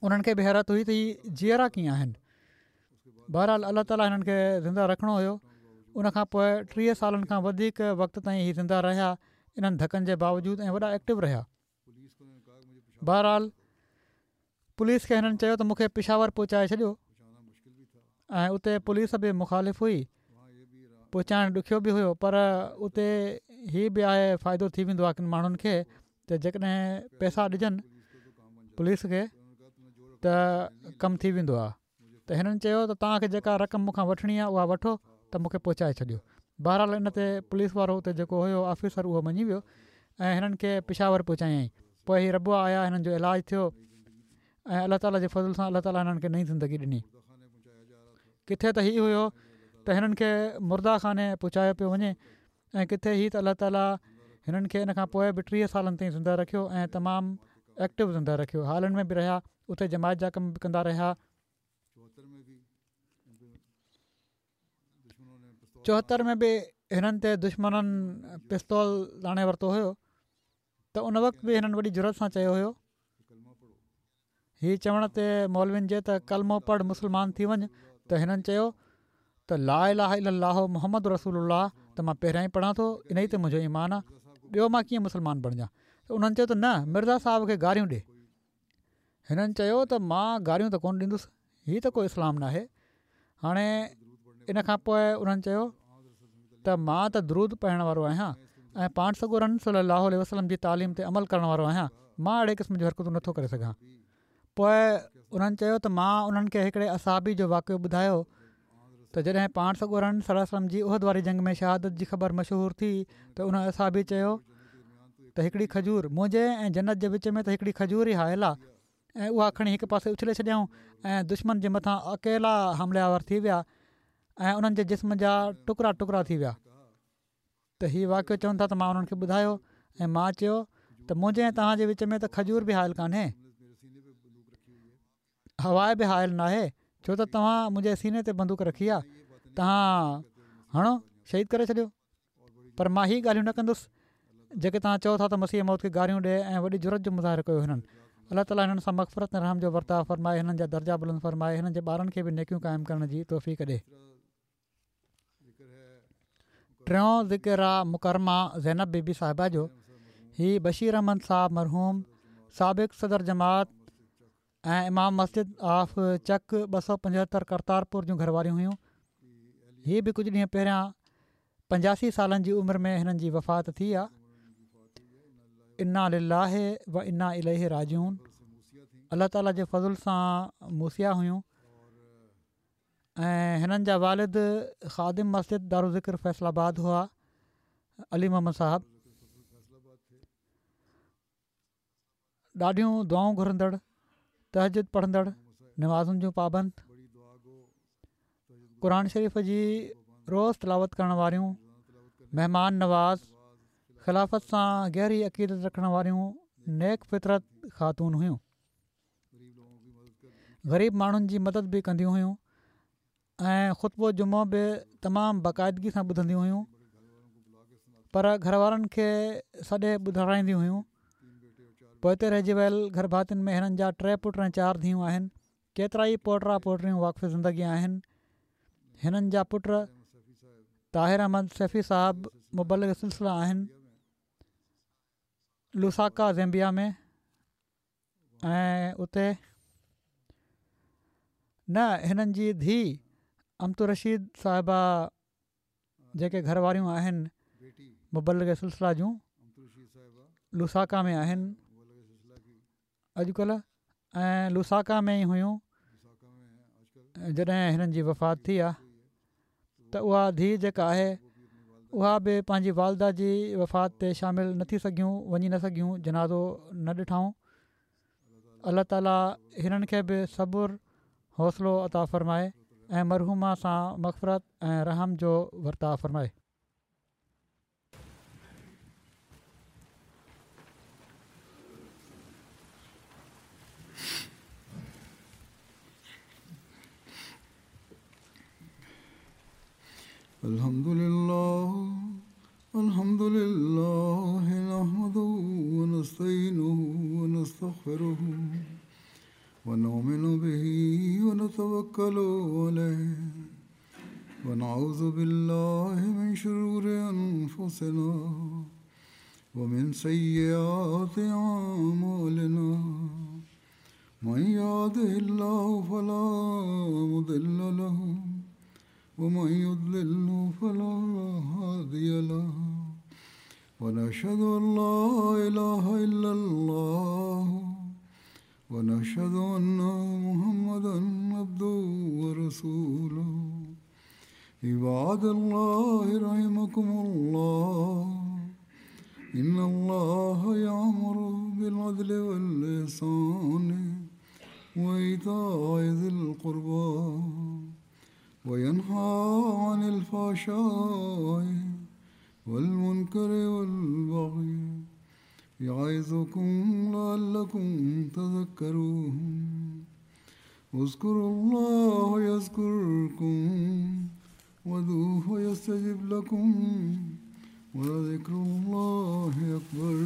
انهن کي به حيرت هئي ته هي جيئرا ڪيئن آهن. بهرحال الله تعاليٰ هنن کي زنده رکڻو هيو. ان کان پوء 30 سالن کان وڌيڪ وقت تائين هي زنده رهيا انهن ڌڪن جي باوجود ۽ وڏا ايڪٽو رهيا. بهرحال پوليس کي هنن چيو ته مون کي پشاور پهچائي ڇڏيو ۽ اتي پوليس به مخالف هئي پهچائڻ ڏکيو به هيو پر اتي هي به آهي فائدو ٿي ويندو آهي ڪن ماڻهن کي ته جيڪڏهن پئسا ڏجن پوليس کي ته ڪم ٿي ويندو آهي ته هنن چيو ته توهان کي جيڪا رقم مون کان وٺڻي آهي اها وٺو ته مون کي پهچائي ڇڏيو بهرحال ان تي پوليس وارو اتي جيڪو هيو آفيسر اهو مڃي ويو ۽ هنن کي پشاور پهچايائين پوء هي ربوه آيا هنن جو علاج ٿيو ۽ الله تعالي جي فضل سان الله تعالي هنن کي نئين زندگي ڏني ڪٿي ته هي هيو ته هنن کي مرده خاني پهچايو پيو وڃي ۽ ڪٿي هي ته الله تعالي هنن کي ان کان پوء به 30 سالن تائين زنده رکيو ۽ تمام ايڪٽو زنده رکيو. هالن ۾ به رهيا، اتي جماعت جا ڪم به ڪندا رهيا. 74 ۾ به هنن تي دشمنن پستول تاڻي ورتو هيو ته ان وقت به هنن وڏي جرئت سان چيو هيو. هي چوڻ تي مولوين جي ته ڪلمو پڙهه مسلمان ٿي وڃ ته هنن چيو ته لا اله الا الله محمد رسول الله ته مان پهريان ئي پڙهان ٿو انهي تي منهنجو ايمان آ ٻيو مان ڪيئن مسلمان بڻجان ته انهن چيو ته نه مرزا صاحب کي گاريون ڏي هنن چيو ته مان گاريون ته ڪونه ڏيندس هي ته ڪو اسلام ناهي هاڻي ان کان پوء انهن چيو ته مان ته درود پڙهڻ وارو آهيان ۽ پاڻ سڳورن صلي الله عليه وسلم جي تعليم تي عمل ڪرڻ وارو آهيان مان اهڙي قسم جون حرڪتون نٿو ڪري سگهان پوء انهن چيو ته مان انهن کي هڪڙي اصحابي جو واقعو ٻڌايو ته جڏهن پاڻ سڳورن صلي الله عليه وسلم جي احد واري جنگ ۾ شهادت جي خبر مشهور ٿي ته ان اصحابي چيو ته هڪڙي کجور منهنجي ۽ جنت جي وچ ۾ ته هڪڙي کجور ئي حائل آ ۽ اها کڻي هڪ پاسي اڇلي ڇڏيائون ۽ دشمن جي مٿان اڪيلا حمله آور ٿي ويا ۽ انهن جي جسم جا ٽڪرا ٽڪرا ٿي ويا ته هي واقعو چون ٿا ته مان انهن کي ٻڌايو ۽ مان چيو ته منهنجي ۽ توهان جي وچ ۾ ته کجور به حائل ڪانهي هوا به حائل ناهي ڇو ته توهان منهنجي سيني تي بندوق رکي آ توهان هڻو شهيد ڪري ڇڏيو پر مان هي ڳالهيون نه ڪندس جيڪي توهان چئو ٿا ته مسيح موعود کي گاريون ڏي ۽ وڏي جرئت جو مظاهرو ڪيو هنن. الله تعالي هنن سان مغفرت ۽ رحم جو ورتاء فرمائي هنن جا درجا بلند فرمائي هنن جي ٻارن کي به نيڪيون قائم ڪرڻ جي توفيق ڏي. ٽيون ذڪر آ مڪرمه زينب بي بي صاحبه جو هي بشير احمد صاحب مرحوم سابق صدر جماعت ۽ امام مسجد آف چڪ 275 ڪرتارپور جون گهر واريون هيون. هي به ڪجهه ڏينهن پهريان 85 سالن جي عمر ۾ هنن جي وفات ٿي آ. انا لله و انا اليه راجعون الله تعالي جي فضل سان موصيه هيون ۽ هنن جا والد خادم مسجد دارالذڪر فيصل آباد هئا علي محمد صاحب. ڏاڍيون دعائون گهرندڙ، تهجد پڙهندڙ، نمازن جون پابند، قرآن شريف جي روز تلاوت ڪرڻ واريون، مهمان نواز، خلافت سان گهري عقيدت رکڻ واريون نيڪ فطرت خاتون هيون. غريب ماڻهن جي مدد به ڪنديون هيون. ۽ خطبو جمعو به تمام باقاعدگي سان ٻڌنديون هيون پر گهر وارن کي سڏي ٻڌارائينديون هيون پوئتي رهجي ويل گهر ڀاتين ۾ هنن جا ٽي پٽ ۽ چار ڌيئون آهن ڪيترائي پوٽا پوٽريون واقف زندگي آهن هنن جا پٽ طاهر احمد سيفي صاحب مبلغ سلسله آهن لوساڪا زيمبيا ۾ ۽ اتي نه هنن جي ڌيء امة الرشيد صاحبه جيڪي گهر واريون آهن مبلغ سلسله جون لوساڪا ۾ آهن اڄڪلهه ۽ لوساڪا ۾ ئي هيون جڏهن هنن جي وفات ٿي آ ته اها ڌيء جيڪا آهي اها به پنهنجي والده جي وفات تي شامل نه ٿي سگهيون وڃي نه سگهيون جنازو نه ڏٺائون الله تعالي هنن کي به صبر حوصلو عطا فرمائي ۽ مرحومه سان مغفرت ۽ رحم جو ورتاء فرمائي. الحمد لله الحمد لله نحمده ونستعينه ونستغفره ونؤمن به ونتوكل عليه ونعوذ بالله من شرور أنفسنا ومن سيئات أعمالنا من يهده الله فلا مضل له ومن يضلل فلا هادي له ونشهد أن لا إله إلا الله ونشهد أن محمدا عبده ورسوله عباد الله رحمكم الله إن الله يأمر بالعدل والإحسان وإيتاء ذي القربى وينهى عن الفحشاء والمنكر والبغي يعظكم لعلكم تذكرون. اذكروا الله يذكركم وادعوه يستجب لكم ولذكر الله أكبر.